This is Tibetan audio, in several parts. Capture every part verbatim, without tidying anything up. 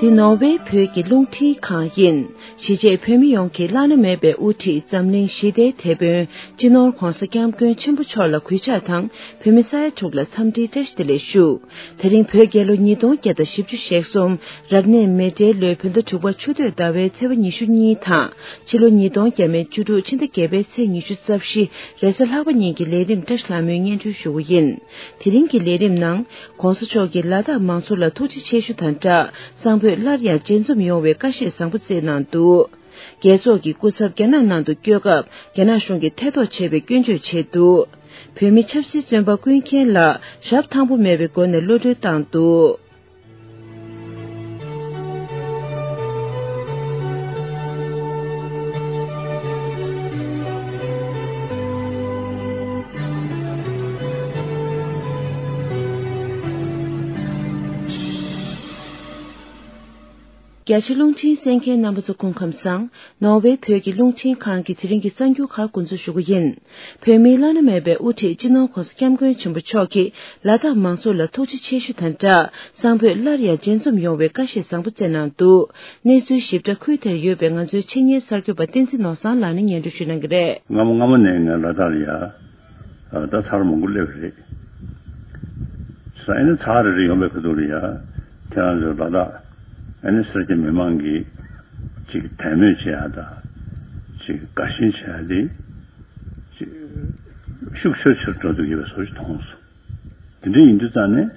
འདི་ནོར་ཝེ་བོད་ཀྱི་རླུང་འཕྲིན་ཁང་ཡིན། གཞིས་བྱེས་བོད་མི་ཡོངས་ཀྱི་བླ་ན་མེད་པའི་དབུ་ཁྲིད་འཛམ་གླིང་ཞི་བདེའི་དེད་དཔོན་སྤྱི་ནོར་༧གོང་ས་༧སྐྱབས་མགོན་ཆེན་པོ་མཆོག་ལ་གུས་ཕྱག་དང་། བོད་མི་ས་ཡ་དྲུག་ལ་འཚམས་འདྲིའི་བཀྲ་ཤིས་བདེ་ལེགས་ཞུ། དེ་རིང་བོད་རྒྱལ་ལོ་ཉིས་སྟོང་བརྒྱ་དང་བཞི་བཅུ་ཞེ་གསུམ། རབ་གནས་མེ་སྤྲེལ་ལོའི་བོད་ཟླ་དྲུག་པ་ཆུ་སྟོད་ཟླ་བའི་ཚེས་པ་ཉི་ཤུ་གཉིས་དང་། ཕྱི་ལོ་ཉིས་སྟོང་བརྒྱ་མེད་བཅུ་དྲུག་ཕྱི་ཟླ་བརྒྱད་པའི་ཚེས་ཉི་ཤུ་རྩ་བཞི་རེས་གཟའ་ལྷག་པ་ཉིན་གྱི་ལས་རིམ་བཀྲ་ཤིས་ལྷ་མོས་སྙན་སྒྲོན་ཞུ་རྒྱུ་ཡིན། དེ་རིང་གི་ལས་རིམ་ནང་། ༸གོང་ས་མཆོག་གིས་ལ་དྭགས་མང་ཚོགས་ལ་ཐུགས་རྗེ་ཆེ་ཞུ་དང་སྦྲགས། གསང་ཕོད་སླར་ཡང་ལྗེར་འཛོམས་ཡོང་བའི་བཀའ་བཞེས་བཟང་པོ་བསྩལ་གནང་འདུག་རྒྱལ་ཚོགས་ཀྱི་སྐུ་ཚབ་རྒྱ་ནག་ནང་དུ་བསྐྱོད་སྐབས། རྒྱ་ནག་གཞུང་གིས་ཐེ་གཏོགས་བྱས་པའི་སྐྱོན་བརྗོད་བྱས་འདུག་བོད་མི་ཆབ་སྲིད་བཙོན་པ་ཀུན་མཁྱེན་ལགས་ཞབས་ཐང་པོ་མེད་པའི་སྒོ་ནས་གློད་གྲོལ་བཏང་འདུག་རྒྱ་ཆེ་རླུང་འཕྲིན་གསན་མཁན་རྣམ་པ་ཚོ་སྐུ་ཁམས་བཟང་། ནོར་ཝེ་བོད་ཀྱི་རླུང་འཕྲིན་ཁང་གི་དེ་རིང་གི་གསར་འགྱུར་ཁག་འགོ་འཛུགས་ཞུ་རྒྱུ་ཡིན། བོད་མིའི་བླ་ན་མེད་པའི་དབུ་ཁྲིད་སྤྱི་ནོར་༸གོང་ས་༸སྐྱབས་མགོན་ཆེན་པོ་མཆོག་གིས་ལ་དྭགས་མང་ཚོགས་ལ་ཐུགས་རྗེ་ཆེ་ཞུ་དང་སྦྲགས། གསང་ཕོད་སླར་ཡང་ལྗེར་འཛོམས་ཡོང་བའི་བཀའ་བཞེས་བཟང་པོ་བསྩལ་གནང་འདུག་གནས་ཚུལ་ཞིབ་ཕྲ་ཁུལ་དེར་ཡོད་པའི་ང་ཚོའི་ཆེད་གཉེར་གསར་འགོད་པ་བསྟན་འཛིན་ནོར་བཟང་ལགས་ནས་སྙན་སྒྲོན་ཞུ་གནང་གི་རེད། སྔ་མོ་སྔ་མོ་ནས་ངས་ལ་དྭགས་ལ་ཡ། ད་ཚར་མང་པོ་སླེབས་རེད། ས་ཨེ་ནི་ཚར་རེ་རེ་ཡོང་པའི་ཁ་ཐུག་ལ་ཡ། ཁྱེད་རང་ཚོའི་ལ་དྭགས་ཨེ་ནི་སེར་སྐྱ་མི་མང་གིས་ཅིག་དད་མོས་བྱེད་ཡ་དང་། ཅིག་དགའ་ཞེན་བྱེད་ཡ་དེ། ཅིག་ཤུགས་ཆེ་ཆེར་འགྲོ་འདུག་ཡོད་པའི་བཟོ་ཞིག་མཐོང་སོང་། དེ་འདྲ་ཡིན་དུས་ཙང་ནས་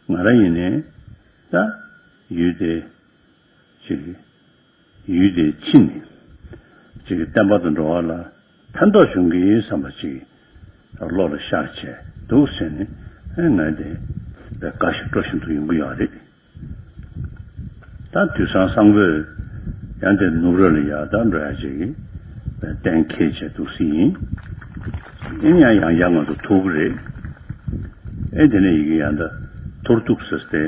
ང་རང་ཡིན་ནའི་ད་ཡུལ་དེ་ཅིག་ཡུལ་དེའི་ཕྱི་ནས་ཅིག་བསྟན་པ་དང་འགྲོ་བ་ལ་ཕན་ཐོགས་བྱུང་གི་ཡིན་བསམ་པ་ཅིག་བློ་ལ་ཤར་བྱས་འདུག་ཟེར་ནས་ཨེ་ང་དེ་དགའ་ཞིང་སྤྲོ་བཞིན་དུ་ཡོང་གི་ཡོད་རེད། ད་དུས་སང་གསང་ཕོད་ཡང་དེ་ནུབ་ར་ལ་ཡ་ད་འགྲོ་ཡ་ཅིག་གཏན་འཁེལ་བྱས་འདུག་སྲིད་ཡིན། ཨེ་ཡང་ཡང་ཡང་ང་ཚོ་ཐུག་གི་རེད། ཨེ་དེ་ནས་ཡི་གེ་ཡང་ད་ཐོར་ཐུག་ཟེར་ཏེ་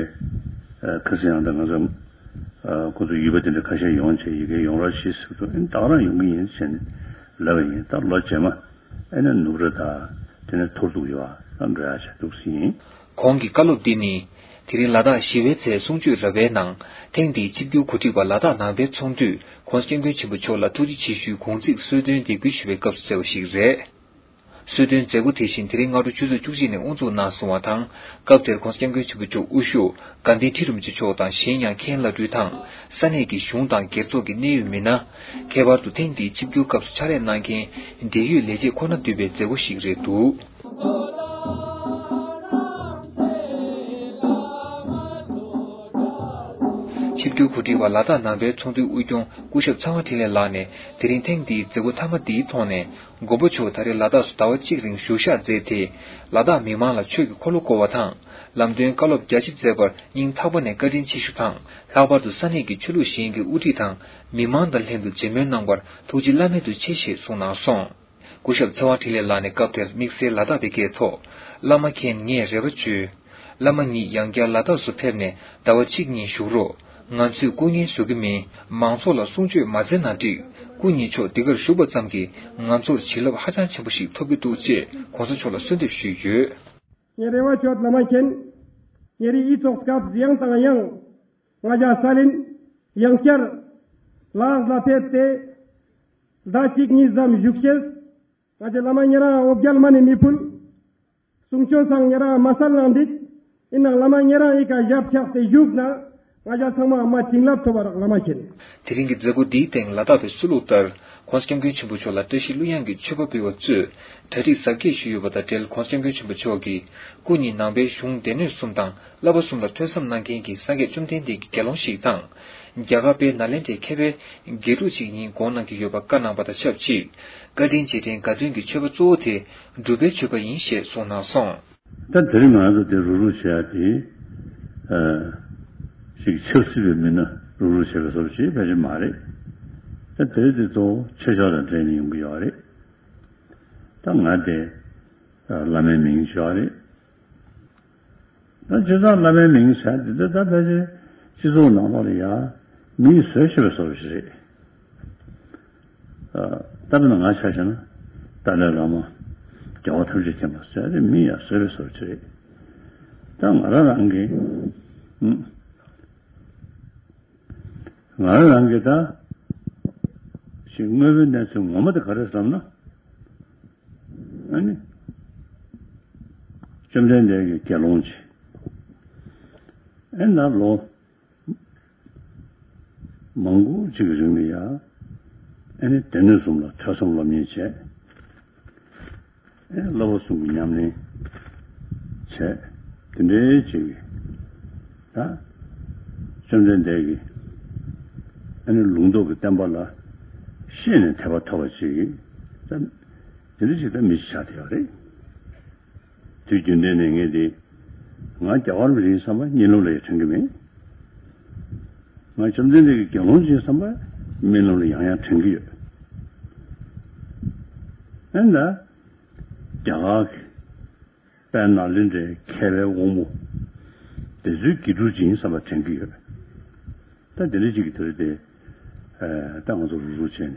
ཁ་སང་ཡང་ད་ང་ཚོ། ཁོ་ཚོ་ཡུལ་པ་དེ་འདྲ་ཁ་ཤས་ཡོང་བྱས་ཡི་གེ་ཡོང་རོགས་ཞེས་ཟེར་དུས་ཨེ་ད་ག་རང་ཡོང་གི་ཡིན་ཟེར་ནས་ལབ་པ་ཡིན། ད་ལོ་རྗེས་མ་ཨེ་ནས་ནུབ་ར་དང་དེ་ནས་ཐོར་ཐུག་ཡོད་ཨ་ད་འགྲོ་ཡ་བྱས་འདུག་ཟེར་ཡིན། གོང་གི་བཀའ་སློབ་འདི་ནི་དེ་རིང་ལ་དྭགས་ཞི་བའི་ཚེས་གསུང་ཆོས་ར་བའི་ནང་ཐེངས་འདིའི་ཆིབས་བསྒྱུར་གོ་སྒྲིག་པ་ལ་དྭགས་ནང་པའི་ཚོགས་འདུས་༸གོང་ས་༸སྐྱབས་མགོན་ཆེན་པོ་མཆོག་ལ་ཐུགས་རྗེ་ཆེ་ཞུའི་དགུང་ཚིགས་གསོལ་སྟོན་འདེགས་འབུལ་ཞུ་བའི་སྐབས་སུ་གསལ་བ་ཞིག་རེད། གསོལ་སྟོན་མཛད་སྒོ་དེ་བཞིན་དེ་རིང་སྔ་དྲོ་ཆུ་ཚོད་བཅུ་གཅིག་ནས་དབུ་འཛུགས་གནང་སོང་བ་དང་། སྐབས་དེར་༸གོང་ས་༸སྐྱབས་མགོན་ཆེན་པོ་མཆོག་དབུ་བཞུགས་དགའ་ལྡན་ཁྲི་རིན་པོ་ཆེ་མཆོག་དང་གཞན་ཡང་མཁན་བླ་སྤྲུལ་དང་ས་གནས་ཀྱི་གཞུང་དང་སྒེར་ཚོགས་ཀྱི་གནད་ཡོད་མི་སྣ། ཁྱད་པར་དུ་ཐེངས་འདིའི་ཆིབས་བསྒྱུར་སྐབས་སུ་ཕྱག་ལས་གནང་མཁན་འབྲེལ་ཡོད་ལས་བྱེད་ཁོ་ན་འདུས་པའི་མཛད་སྒོ་ཞིག་རེད་འདུག་ཆིབས་བསྒྱུར་གོ་སྒྲིག་པ་ལ་དྭགས་ནང་པའི་ཚོགས་འདུའི་དབུ་སྐྱོང་སྐུ་ཞབས་ཚེ་དབང་འཕྲིན་ལས་ལགས་ནས་དེ་རིང་ཐེངས་འདིའི་མཛད་སྒོ་མཐའ་མ་འདིའི་ཐོག་ནས། མགོན་པོ་མཆོག་ད་རེས་ལ་དྭགས་སུ་ཟླ་བ་གཅིག་རིང་བཞུགས་ཞག་མཛད་དེ། ལ་དྭགས་མི་མང་ལ་ཆོས་ཀྱི་འཁོར་ལོ་བསྐོར་བ་དང་། ལམ་སྟོན་བཀའ་སློབ་རྒྱ་ཆེ་མཛད་པར་སྙིང་ཐག་པ་ནས་བཀའ་དྲིན་ཆེ་ཞུ་དང་། ལྷག་པར་དུ་ས་གནས་ཀྱི་ཆོས་ལུགས་གཞན་གྱི་དབུ་ཁྲིད་དང་མི་མང་དང་ལྷན་དུ་མཇལ་མོལ་གནང་བར་ཐུགས་རྗེ་བླ་མེད་དུ་ཆེ་ཞེས་གསུངས་གནང་སོང་། སྐུ་ཞབས་ཚེ་དབང་འཕྲིན་ལས་ལགས་ནས་སྐབས་དེར་དམིགས་བསལ་ལ་དྭགས་པའི་སྐད་ཐོག་བླ་མ་མཁྱེན། ངས་རེ་བ་བཅོལ། བླ་མ་ཉིད་ཡང་བསྐྱར་ལ་དྭགས་སུ་ཕེབས་ནས་ཟླ་བ་གཅིག་གཉིས་བཞུགས་རོགས། ང་ཚོས་སྐུ་ངལ་བཟོ་གི་མིན། མང་ཚོགས་ལ་གསུང་ཆོས་མ་མཛད་ན་འགྲིག་སྐུ་ཉིད་མཆོག་འདི་གར་བཞུགས་པ་ཙམ་གྱིས་ང་ཚོར་བྱིན་རླབས་ཧ་ཅང་ཆེན་པོ་ཞིག་ཐོབ་ཀྱི་འདུག་ཅེས་གོང་ས་མཆོག་ལ་གསོལ་འདེབས་ཞུས་ཡོད། ངའི་རེ་བ་བཅོལ་བླ་མ་མཁྱེན། ཉེ་རིང་ཡིག་ཚོགས་སྐབས་ཡང་དང་ཡང་། ང་ཅག་ས་ལིན་ཡང་བསྐྱར་ལ་དྭགས་ལ་ཕེབས་ཏེ། ཟླ་གཅིག་གཉིས་ཙམ་བཞུགས་ཤེས། ང་ཚོའི་བླ་མ་ཉེ་རང་འོ་བརྒྱལ་མ་ནི་མི་ཕུལ། གསུང་ཆོས་སང་ཉེ་རང་མ་སལ་ནང་འདུག་ཡིན་ནའང་བླ་མ་ཉེ་རང་ཨི་ཀ་ཞབས་ཆགས་ཏེ་བཞུགས་ན་ང་ཅག་ཚང་མ་མ་བྱིན་རླབས་ཐོབ་པ་རག་བླ་མ་མཁྱེན། དེ་རིང་གི་མཛད་སྒོ་འདིའི་སྟེང་ལ་དྭགས་པའི་སྲོལ་ལུགས་ལྟར་༸གོང་ས་༸སྐྱབས་མགོན་ཆེན་པོ་མཆོག་ལ་བཀྲ་ཤིས་གླུ་དབྱངས་ཀྱི་མཆོད་པ་འབུལ་བ་གཙོས་གྲ་སྒྲིག་གཟབ་རྒྱས་ཞུས་ཡོད་པ་དང་འབྲེལ་༸གོང་ས་༸སྐྱབས་མགོན་ཆེན་པོ་མཆོག་གིས་སྐུ་ཉིད་ནང་པའི་གཞུང་སྡེ་སྣོད་གསུམ་དང་། བསླབ་པ་གསུམ་ལ་ཐོས་བསམ་གནང་མཁན་གྱི་སངས་རྒྱས་བཅོམ་ལྡན་འདས་ཀྱི་དགེ་སློང་ཞིག་དང་། རྒྱ་གར་པའི་ནཱ་ལེནྡྲའི་མཁས་པའི་དགེ་ཕྲུག་ཅིག་ཡིན་དགོངས་གནང་གི་ཡོད་པ་བཀའ་གནང་བ་དང་ཆབས་ཅིག་བཀའ་དྲིན་རྗེས་དྲན་དགའ་སྟོན་གྱི་མཆོད་པ་གཙོ་བོ་དེ་སྒྲུབ་པའི་མཆོད་པ་ཡིན་ཞེས་གསུངས་གནང་སོང་། ད་དེ་རིང་ང་ཚོ་དེ་རུག་རུག་བྱེད་ཡ་དེ། ཨ། ཞིག་ཆབ་སྲིད་པའི་མི་སྣ་རུག་རུག་བྱེད་པའི་བཟོ་ཞིག་ཕལ་ཆེར་མ་རེད། ད་དེ་དེ་ཚོ་ཆོས་ཕྱོགས་དང་འབྲེལ་ནས་ཡོང་གི་ཡོད་རེད། ད་ང་དེ་བླ་མའི་མིང་ཞུ་བ་རེད། ད་སྤྱིར་བཏང་བླ་མའི་མིང་ཟེར་དེ་ད་ད་ཕལ་ཆེར་སྤྱི་ཚོགས་ནང་ལོགས་ལ་ཡ་མིང་བཟོས་བྱས་པའི་བཟོ་ཞིག་རེད། ཨ། ད་ལྟ་ང་ཆ་བཞག་ན་ཏཱ་ལའི་བླ་མ་རྒྱལ་བ་ཐམས་ཅད་མཁྱེན་པ་ཟེར་དེ་མིང་ཡ་བཟོས་པའི་བཟོ་ཞིག་རེད། ད་ང་རང་རང་གི་ཨུ། ང་རང་གི་ད་ཞིག་དངོས་པོའི་གནས་ཚུལ་ངོ་མ་དེ་ག་རེ་བསམ་ན། ཨ་ནི། བཅོམ་ལྡན་འདས་ཀྱིས་དགེ་སློང་ཅིག་ཨེ་ན་ལོ་མང་པོ་ཅིག་གི་རིང་ལ་ཡ། ཨ་ནི་སྡེ་སྣོད་གསུམ་ལ་ཐོས་བསམ་སློབ་གཉེར་བྱས། ཨེ་བསླབ་པ་གསུམ་གྱི་ཉམས་ལེན་བྱས། དེ་འདྲའི་ཅིག་ད་བཅོམ་ལྡན་འདས་ཀྱིས་ཨ་ནི་ལུང་རྟོགས་ཀྱི་བསྟན་པ་ལ་ཤེས་ནས་དད་པ་ཐོབ་པ་ཅིག་ད་དེ་འདྲ་ཅིག་ད་མི་ཞིག་ཆགས་བསྡད་ཡོད་རེད། དུས་རྒྱུན་ལྡན་ནས་ངས་དེ་ང་རྒྱལ་བ་རིན་པོ་ཆེ་ཡིན་བསམ་པ་གཉིད་ལམ་ལ་ཡང་དྲན་གྱི་མེད། ང་བཅོམ་ལྡན་འདས་ཀྱི་དགེ་སློང་ཅིག་ཡིན་བསམ་པ་རྨི་ལམ་ལ་ཡང་ཡང་དྲན་གྱི་ཡོད། ཨེ་ན་རྒྱ་གར་གྱི་དཔལ་ནཱ་ལེནྡྲའི་མཁས་པའི་དབང་པོ་དེ་ཚོའི་དགེ་ཕྲུག་ཅིག་ཡིན་བསམ་པ་དྲན་གྱི་ཡོད། ད་དེ་འདྲ་ཅིག་གི་དུས་དེ། ད་ང་ཚོ་རུག་རུག་བྱས་ནས།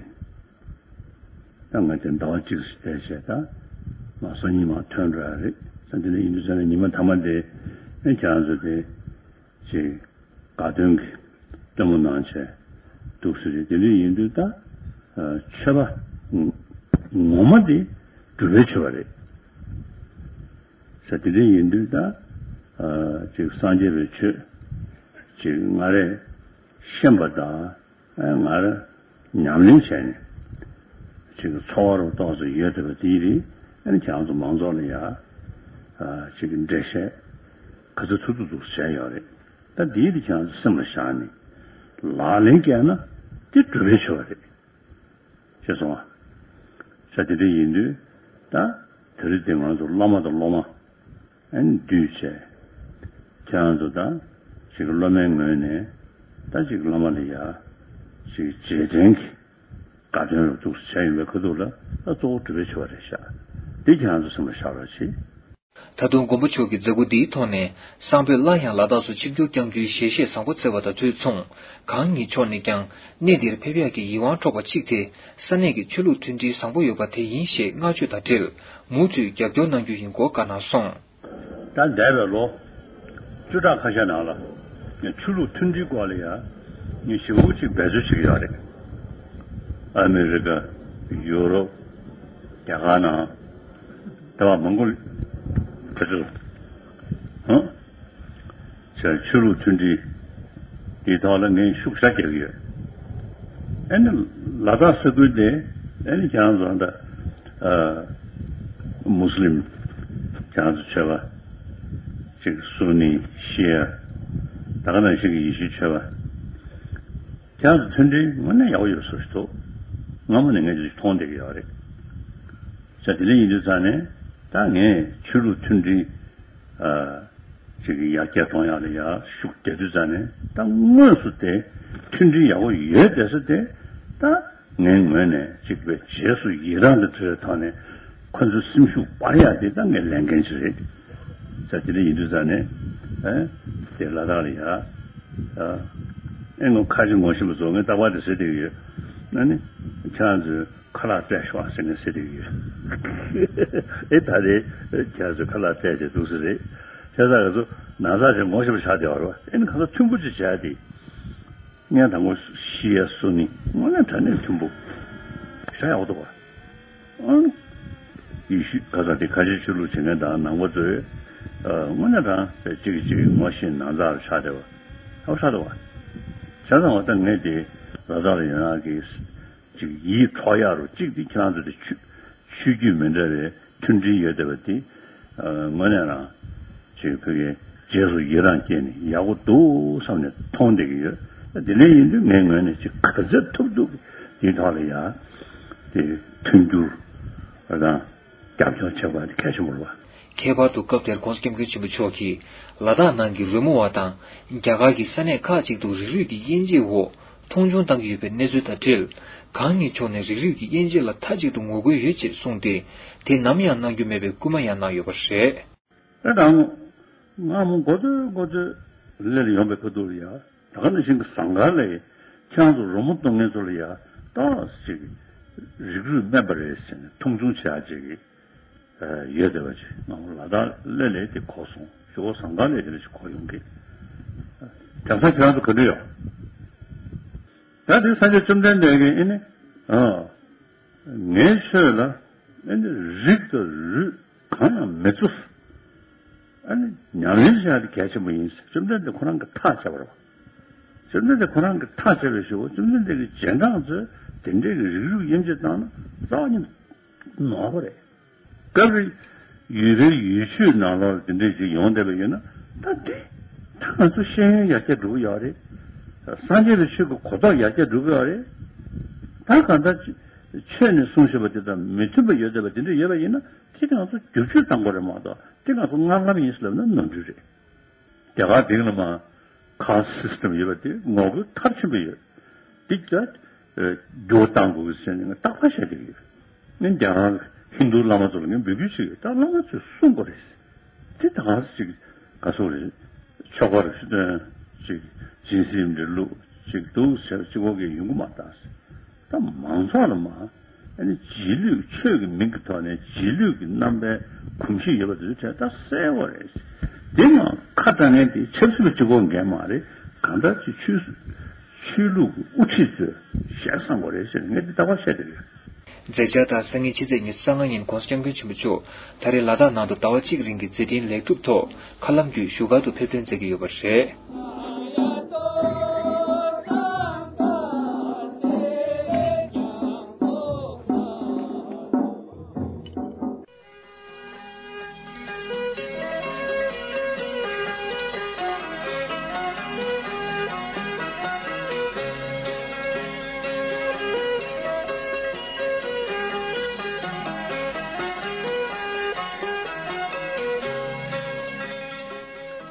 ད་ང་དེ་ཟླ་བ་གཅིག་ཙམ་བསྡད་བྱས་ད། མ་སང་ཉིན་མ་ཐོན་འགྲོ་ཡ་རེད། ད་དེ་འདྲ་ཡིན་དུས་ཙང་ནས་ཉི་མ་མཐའ་མ་དེ། ཨེ་ཁྱེད་རང་ཚོ་དེ། ཅིག་དགའ་སྟོན་གྱི་སྟོན་མོ་གནང་བྱས་འདུག་ཟེར་རེད། དེ་འདྲ་ཡིན་དུས་ད། ཆོས་པ་ངོ་མ་དེ་སྒྲུབ་པའི་ཆོས་པ་རེད། ཟེར་དེ་འདྲ་ཡིན་དུས་ད། ཅིག་སངས་རྒྱས་པའི་ཆོས་ཅིག་སྔ་རེ་ཤེས་པ་དང་། ཨ་ང་རང་ཉམས་ལེན་བྱས་ནས་ཅིག་འཚོ་བ་རུ་ཏོག་ཙམ་ཡོད་བསྡད་པ་དེའི་རིགས། ཨ་ནི་ཁྱེད་རང་ཚོ་མང་ཚོགས་ལ་ཡ་ཅིག་འགྲེལ་བཤད་ག་ཚོད་ཐུབ་ཐུབ་ཐུབ་བྱས་ཡོད་རེད། ད་དེའི་རིགས་ཁྱེད་རང་ཚོ་སེམས་ལ་བཞག་ནས་ལག་ལེན་བཀལ་ན་དེ་སྒྲུབ་པའི་ཆོས་པ་རེད། ཤེས་སོང་ཨ། ས་དེ་འདྲ་ཡིན་དུས་ད་དེ་རིང་དེ་ང་ཚོ་བླ་མ་དང་སློབ་མ་ཨ་ནི་འདུས་བྱས། ཁྱེད་རང་ཚོ་ད་ཅིག་སློབ་མའི་ངོས་ནས་ད་ཅིག་བླ་མ་ལ་ཡ་ཅིག་རྗེས་དྲན་གྱི་དགའ་སྟོན་རུ་འདུག་བྱས་ཡིན་པའི་ཁ་ཐུག་ལ་ད་གཙོ་བོ་སྒྲུབ་པའི་ཆོས་པ་རེད་ཤག་འདི་ཁྱེད་རང་ཚོ་སེམས་ལ་བཞག་རོགས་གྱིས། ད་དུང་མགོན་པོ་མཆོག་གི་མཛད་སྒོ་འདིའི་ཐོག་ནས་བསང་ཕོད་སླར་ཡང་ལ་དྭགས་སུ་ཆིབས་བསྒྱུར་བསྐྱང་རྒྱུའི་ཞལ་བཞེས་བཟང་པོ་སྩལ་བ་དང་དུས་མཚུངས། གང་ཉིད་མཆོག་ནས་ཀྱང་གནས་འདིར་ཕེབས་ཡག་གི་ཡིད་དབང་འཕྲོག་པ་གཅིག་དེ་ས་གནས་ཀྱི་ཆོས་ལུགས་མཐུན་སྒྲིལ་བཟང་པོ་ཡོད་པ་དེ་ཡིན་ཞེས་བསྔགས་བརྗོད་དང་འབྲེལ་མུ་མཐུད་རྒྱབ་སྐྱོར་གནང་རྒྱུ་ཡིན་སྐོར་བཀའ་གནང་སོང་། ད་འདས་པའི་ལོ་བཅུ་ཕྲག་ཁ་ཤས་ནང་ལ་ངས་ཆོས་ལུགས་མཐུན་སྒྲིལ་སྐོར་ལ་ཡ་ངས་ཞེ་པོ་ཅིག་འབད་རྩོལ་བྱེད་ཀྱི་ཡོད་རེད། ཨ་མི་རི་ཀ། ཡུ་རོབ། རྒྱ་གར་ནང་། དེ་བ་མང་པོ་དེ་ཚོ། ཧང་། ཆོས་ཆོས་ལུགས་མཐུན་སྒྲིལ་དེའི་ཐོག་ལ་ངས་ཤུགས་ཞེ་དྲག་རྒྱག་གི་ཡོད། ཨ་ནི་ལ་དྭགས་ས་ཁུལ་དེ་ཨ་ནི་ཁྱེད་རང་ཚོ་ད་ཨ་མུ་སི་ལིམ་ཁྱེད་རང་ཚོ་ཆོས་པ་ཅིག་སུ་ནི་ཤི་ཡ་ད་ག་ནང་བཞིན་གྱི་ཡེ་ཤུའི་ཆོས་པ་ཁྱེད་རང་ཚོ་མཐུན་སྒྲིལ་དངོས་གནས་ཡག་པོ་ཡོད་བཟོ་ཞིག་འདུག་སྔ་མོ་ནས་ངས་ཅིག་མཐོང་བསྡད་ཀྱི་ཡོད་རེད། ས་དེ་འདྲ་ཡིན་དུས་ཙང་ནས་ད་ངས་ཆོས་ལུགས་མཐུན་སྒྲིལ་ཨ་ཅིག་ཡར་རྒྱས་གཏོང་ཡག་ལ་ཡར་ཤུགས་རྒྱག་དུས་ཙང་ནས་ད་དངོས་སུ་དེ་མཐུན་སྒྲིལ་ཡག་པོ་ཡོད་བསྡད་ས་དེ་ད་ངའི་ངོས་ནས་ཅིག་པའི་རྗེས་སུ་ཡི་རང་གི་ཐོག་ནས་ཁོ་ཚོའི་སེམས་ཤུགས་སྤར་ཡག་དེ་ད་ངའི་ལས་འགན་ཅིག་རེད། ས་དེ་འདྲ་ཡིན་དུས་ཙང་ནས་ཨ་དེ་ལ་དྭགས་ལ་ཡར་ཨ་ཨེ་ངོ་ཁ་ཅིག་ངོ་ཤེས་པ་ཚོ་ངས་རྟག་པར་དེ་ཟེར་བསྡད་ཀྱི་ཡོད། ཨ་ནི་ཁྱེད་རང་ཚོས། ཁ་ལག་སྤྲད་ཤོག་ཟེར་ནས་ཟེར་གྱི་ཡོད། ཨེ་ད་རེས་ཁྱེད་ཚོས་ཁ་ལག་སྤྲད་བྱས་འདུག་ཟེར་རེད། ཁྱེད་ཚོ་ག་ཚོད་ན་ཚ་ཞིག་ངོ་ཤེས་པ་ཆགས་བསྡད་པ་རེད་པ། ཨེ་ནི་ག་ཚོད་མཐུན་པོ་ཅིག་བྱས་ཏེ། ངས་དང་པོ་ཤི་ཡ་སུ་ནི་དངོས་གནས་དྲང་གནས་མཐུན་པོ། ཤ་ཡག་པོ་འདུག་པ། ཨང་། ཡེ་ཤུ་ག་ས་དེ་ཁ་ཆེ་ཆོས་ལུགས་བྱེད་མཁན་དང་ནང་པ་ཚོས། དངོས་གནས་དྲང་གཅིག་གིས་གཅིག་ངོ་ཤེས་ན་ཚ་ཆགས་བསྡད་པ། ཡག་པོ་ཆགས་འདུག་པ། བྱས་ཙང་བ་ད་ངས་དེ་ལ་དྭགས་ལ་ཡོད་ན་གི་ཅིག་ཡིད་འཕྲོག་ཡག་རུ་གཅིག་དེ་ཁྱེད་རང་ཚོ་དེ་ཆོས་ཆོས་བརྒྱུད་མི་འདྲ་བའི་མཐུན་སྒྲིལ་ཡོད་བསྡད་པ་དེ་དངོས་གནས་རང་ཅིག་བོད་ཀྱི་རྗེས་སུ་ཡི་རང་སྐྱེས་ནས་ཡག་པོ་འདུག་བསམ་ནས་མཐོང་བསྡད་ཀྱི་ཡོད། དེ་འདྲ་ཡིན་དུས་ངའི་ངོས་ནས་ཅིག་ག་ཚོད་ཐུབ་ཐུབ་དེའི་ཐོག་ལ་ཡ་དེ་མཐུན་འགྱུར་དང་རྒྱབ་སྐྱོར་བྱེད་དགོས་པ་དེ་གལ་ཆེན་པོ་རེད་པ། ཁྱད་པར་དུ་སྐབས་དེར་༧གོང་ས་༧སྐྱབས་མགོན་ཆེན་པོ་མཆོག་གིས་ལ་དྭགས་ནང་གི་རོལ་མོ་བ་དང་རྒྱ་གར་གྱི་ས་གནས་ཁག་ཅིག་ཏུ་རིགས་རུས་ཀྱི་དབྱེ་འབྱེད་འོག་མཐོང་ཆུང་བཏང་གི་ཡོད་པའི་གནས་ཚུལ་དང་འབྲེལ། གང་ཉིད་མཆོག་ནས་རིགས་རུས་ཀྱི་དབྱེ་འབྱེད་ལ་མཐའ་གཅིག་ཏུ་ངོ་རྒོལ་ཡོད་ཅེས་གསུངས་ཏེ། དེ་ནམ་ཡང་གནང་རྒྱུ་མེད་པའི་སྐུལ་མ་ཡང་གནང་ཡོད་པ་རེད། ཨེ་དང་། སྔ་མོ་འགོ་ཚོད་འགོ་ཚོད་ལས་ལ་ཡོང་པའི་ཁ་ཐུག་ལ་ཡ། ད་ག་ནང་བཞིན་གྱི་ཟངས་དཀར་ལས་ཁྱེད་རང་ཚོ་རོལ་མོ་གཏོང་མཁན་ཚོ་ལ་ཡ་ཏོག་ཙམ་ཅིག་རིགས་རུས་དམན་པ་རེད་ཟེར་ནས་མཐོང་ཆུང་བྱེད་ཡག་ཅིག་ཡོད་བསྡད་པ་ཅིག་ང་ལ་དྭགས་ལས་ལས་དེ་གོ་སོང་། ཞོགས་ཟངས་དཀར་ལས་དེ་འདྲ་ཅིག་གོ་ཡོང་གི། དེང་སང་ཁྱེད་རང་ཚོ་ག་འདྲ་ཡོད། ད་དེ་སངས་རྒྱས་བཅོམ་ལྡན་འདས་ཀྱིས་ཨེ་ནི། ཨ། ངའི་ཆོས་ལ་ཨེ་ནི་རིགས་དང་རུས་གང་ཡང་མི་བཙུགས། ཨ་ནི་ཉམས་ལེན་བྱ་ཡ་དེ་གལ་ཆེན་པོ་ཡིན་ཟེར། བཅོམ་ལྡན་འདས་ཁོ་རང་གིས་ཐག་བཅད་པ་རེད་བ། བཅོམ་ལྡན་འདས་ཁོ་རང་གིས་ཐག་བཅད་པའི་གཞུག་གུ་བཅོམ་ལྡན་འདས་ཀྱི་རྗེས་འབྲང་ཚོས་དེ་འདྲའི་གི་རིགས་རུས་དབྱེ་འབྱེད་བཏང་ན་རྩ་བ་ཉིད་ནོར་བ་རེད། སྐབས་རེ་ཡུལ་པའི་ཡུལ་ཆོས་ནང་ལོགས་ལ་དེ་འདྲའི་ཅིག་ཡོང་བསྡད་པ་ཡིན་ན། ད་དེ་ད་ང་ཚོ་ཤེས་ཡོན་ཡར་རྒྱས་འགྲོ་གི་ཡོད་རེད། སངས་རྒྱས་པའི་ཆོས་ཀྱི་གོ་རྟོགས་ཡར་རྒྱས་འགྲོ་གི་ཡོད་རེད། ད་གང་ལྟར་ཆོས་ནས་གསུངས་བཞིན་པ་དེ་དང་མི་མཐུན་པ་ཡོད་བསྡད་པ་དེ་འདྲ་ཡོད་པ་ཡིན་ན། དེ་ང་ཚོ་བསྒྱུར་བཅོས་གཏང་དགོས་རེད་མ་གཏོགས། དེ་ང་ཚོ་སྔར་ལམ་ཡིན་ཟེར་ལབ་ན་ནོར་འཁྲུལ་རེད། རྒྱ་གར་སྟེང་ལ་མ་ཁཱསི་སི་ཊམ་ཡོད་པ་དེ་ངོ་རྒོལ་མཐར་ཕྱིན་པ་ཡོད། དེ་ད་འགྱུར་བ་གཏང་དགོས་ཀྱི་ཟེར་ནས་རྟག་པར་བཤད་ཀྱི་ཡོད། ངས་རྒྱ་གར་ཧིན་རྡུ་བླ་མ་ཚོ་ལ་ངས་འབོད་སྐུལ་བྱེད་ཀྱི་ཡོད། ད་བླ་མ་ཚོས་གསུང་དགོས་རེད། དེ་ད་ག་ཟེ་ཅིག་ག་ཟེ་རེད། ཆོ་ག་རེ་ཞུ་དོན་ཅིག་སྦྱིན་སྲེག་འདྲ་བླུགས་ཅིག་འདུག་ཟེར་གཅིག་པོ་གིས་ཡོང་གི་མ་རེད་ད་ཟེར། ད་མང་ཚོགས་ལ་མ། ཨ་ནི་རྗེས་ལུས་ཆོས་ཀྱི་མིང་གི་ཐོག་ནས་རྗེས་ལུས་ཀྱི་རྣམ་པའི་གོམས་གཤིས་ཡོད་པ་དེ་ཚོའི་གྲས་ད་གསལ་བོ་རེད། དེ་ཡང་ཁ་གྲག་མཁན་དེ་ཆབ་སྲིད་པ་གཅིག་པོ་འགན་མ་རེད། གང་ལྟར་གྱི་ཆོས་ཆོས་ལུགས་ཀྱི་དབུ་ཁྲིད་ཚོས་ཞལ་བསམ་དགོས་རེད་ཟེར་ནས་ངས་འདི་ལྟ་བ་བཤད་དེ་རེད། མཛད་འཆར་དང་སང་ཉིན་ཕྱི་ཚེས་ཉི་ཤུ་རྩ་ལྔ་ཉིན་༸གོང་ས་༸སྐྱབས་མགོན་ཆེན་པོ་མཆོག་ད་རེས་ལ་དྭགས་ནང་དུ་ཟླ་བ་གཅིག་རིང་གི་མཛད་འཕྲིན་ལེགས་གྲུབ་ཐོག་མཁའ་ལམ་བརྒྱུད་བཞུགས་སྒར་དུ་ཕེབས་ཐོན་མཛད་ཀྱི་ཡོད་པ་རེད།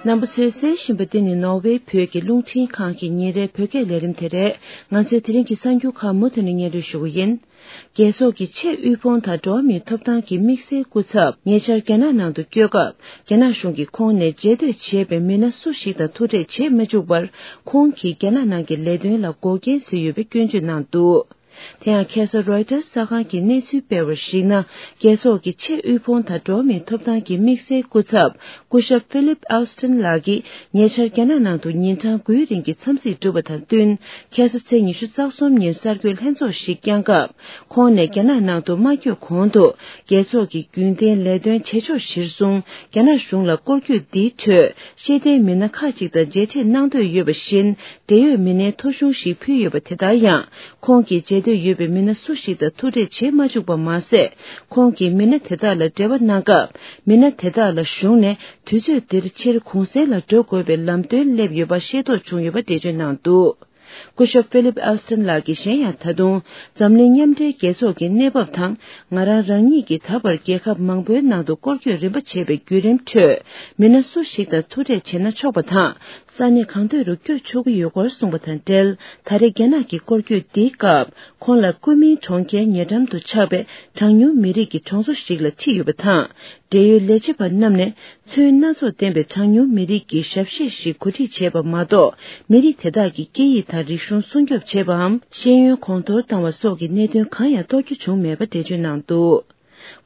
རྣམ་པ་ཚོས་གསན་བཞིན་པ་འདི་ནི་ནོར་ཝེ་བོད་ཀྱི་རླུང་འཕྲིན་ཁང་གི་ཉིན་རེའི་བོད་སྐད་ལས་རིམ་དེ་རེད། ང་ཚོས་དེ་རིང་གི་གསར་འགྱུར་ཁག་མུ་མཐུད་ནས་སྙན་སྒྲོན་ཞུ་གི་ཡིན། རྒྱལ་ཚོགས་ཀྱི་ཆེས་དབུལ་ཕོངས་དང་འགྲོ་བ་མིའི་ཐོབ་ཐང་གི་དམིགས་བསལ་སྐུ་ཚབ་ཉེ་ཆར་རྒྱ་ནག་ནང་དུ་བསྐྱོད་སྐབས། རྒྱ་ནག་གཞུང་གིས་ཁོང་ནས་རྗེས་སྡོད་བྱས་པའི་མི་སྣ་སུ་ཞིག་དང་ཐུག་འཕྲད་བྱེད་མ་བཅུག་པར། ཁོང་གིས་རྒྱ་ནག་ནང་གི་ལས་དོན་ལ་འགོག་རྐྱེན་བཟོས་ཡོད་པའི་སྐྱོན་བརྗོད་གནང་འདུག་དེ་ཡང་ཁ་སང་རོའི་ཊར་གསར་ཁང་གིས་གནས་ཚུལ་སྤེལ་བར་གཞིགས་ན། རྒྱལ་ཚོགས་ཀྱི་ཆེས་དབུལ་ཕོངས་དང་འགྲོ་བ་མིའི་ཐོབ་ཐང་གི་དམིགས་བསལ་སྐུ་ཚབ་སྐུ་ཞབས་ཧྥི་ལིབ་ཨེལ་སི་ཊན་ལགས་ཀྱིས་ཉེ་ཆར་རྒྱ་ནག་ནང་དུ་ཉིན་གྲངས་དགུའི་རིང་གི་འཚམས་གཟིགས་གྲུབ་པ་དང་བསྟུན། ཁ་སང་ཚེས་ཉི་ཤུ་རྩ་གསུམ་ཉིན་གསར་འགོད་ལྷན་ཚོགས་ཤིག་བསྐྱངས་སྐབས། ཁོང་ནས་རྒྱ་ནག་ནང་དུ་མ་བསྐྱོད་གོང་དུ། རྒྱལ་ཚོགས་ཀྱི་རྒྱུན་ལྡན་ལས་དོན་བྱེད་ཕྱོགས་གཞིར་བཟུང་། རྒྱ་ནག་གཞུང་ལ་སྐོར་སྐྱོད་འདིའི་ཁྲོད། ཤེས་ལྡན་མི་སྣ་ཁག་ཅིག་དང་མཇལ་འཕྲད་གནང་འདོད་ཡོད་པ་བཞིན། འབྲེལ་ཡོད་མི་སྣའི་ཐོ་གཞུང་ཞིག་ཕུལ་ཡོད་པ་དེ་ལྟར་ཡང་། ཁོང་གིས་མཇལ་འདོད་ཡོད་པའི་མི་སྣ་སུ་ཞིག་དང་ཐུག་འཕྲད་བྱེད་མ་བཅུག་པ་མ་ཟད། ཁོང་གིས་མི་སྣ་དེ་དག་ལ་འབྲེལ་བ་གནང་སྐབས། མི་སྣ་དེ་དག་ལ་གཞུང་ནས་དུས་ཚོད་འདིར་ཕྱིར་གུང་སེང་ལ་འགྲོ་དགོས་པའི་ལམ་སྟོན་སླེབས་ཡོད་པ་ཤེས་རྟོགས་བྱུང་ཡོད་པ་འགྲེལ་བརྗོད་གནང་འདུག་སྐུ་ཞབས་ཧྥི་ལིབ་ཨེལ་སི་ཊན་ལགས་ཀྱིས་གཞན་ཡང་ད་དུང་། འཛམ་གླིང་མཉམ་འབྲེལ་རྒྱལ་ཚོགས་ཀྱི་གནས་བབ་དང་། ང་རང་རང་ཉིད་ཀྱི་ད་བར་རྒྱལ་ཁབ་མང་པོའི་ནང་དུ་སྐོར་སྐྱོད་རིམ་པ་བྱས་པའི་བརྒྱུད་རིམ་ཁྲོད། མི་སྣ་སུ་ཞིག་དང་ཐུག་འཕྲད་བྱས་ན་ཆོག་པ་དང་། ས་གནས་གང་འདོད་རུ་བསྐྱོད་ཆོག་གི་ཡོད་སྐོར་གསུངས་པ་དང་འབྲེལ། ད་རེས་རྒྱ་ནག་གི་སྐོར་སྐྱོད་འདིའི་སྐབས། ཁོང་ལ་ཀུན་མིང་གྲོང་ཁྱེར་ཉེ་འགྲམ་དུ་ཆགས་པའི་གྲངས་ཉུང་མི་རིགས་ཀྱི་གྲོང་ཚོ་ཞིག་ལ་ཁྲིད་ཡོད་པ་དང་། འབྲེལ་ཡོད་ལས་བྱེད་པ་རྣམས་ནས། ཚོན་སྣ་ཚོགས་ལྡན་པའི་གྲངས་ཉུང་མི་རིགས་ཀྱི་ཞབས་གཞས་ཤིག་གོ་སྒྲིག་བྱས་པ་མ་གཏོགས། མི་རིགས་དེ་དག་གི་སྐད་ཡིག་དང་རིག་གཞུང་སྲུང་སྐྱོབ་བྱས་པའམ། ཤེས་ཡོན་གོང་མཐོར་བཏང་བ་སོགས་ཀྱི་གནད་དོན་གང་ཡང་རྟོགས་རྒྱུ་བྱུང་མེད་པ་འགྲེལ་བརྗོད་གནང་འདུག་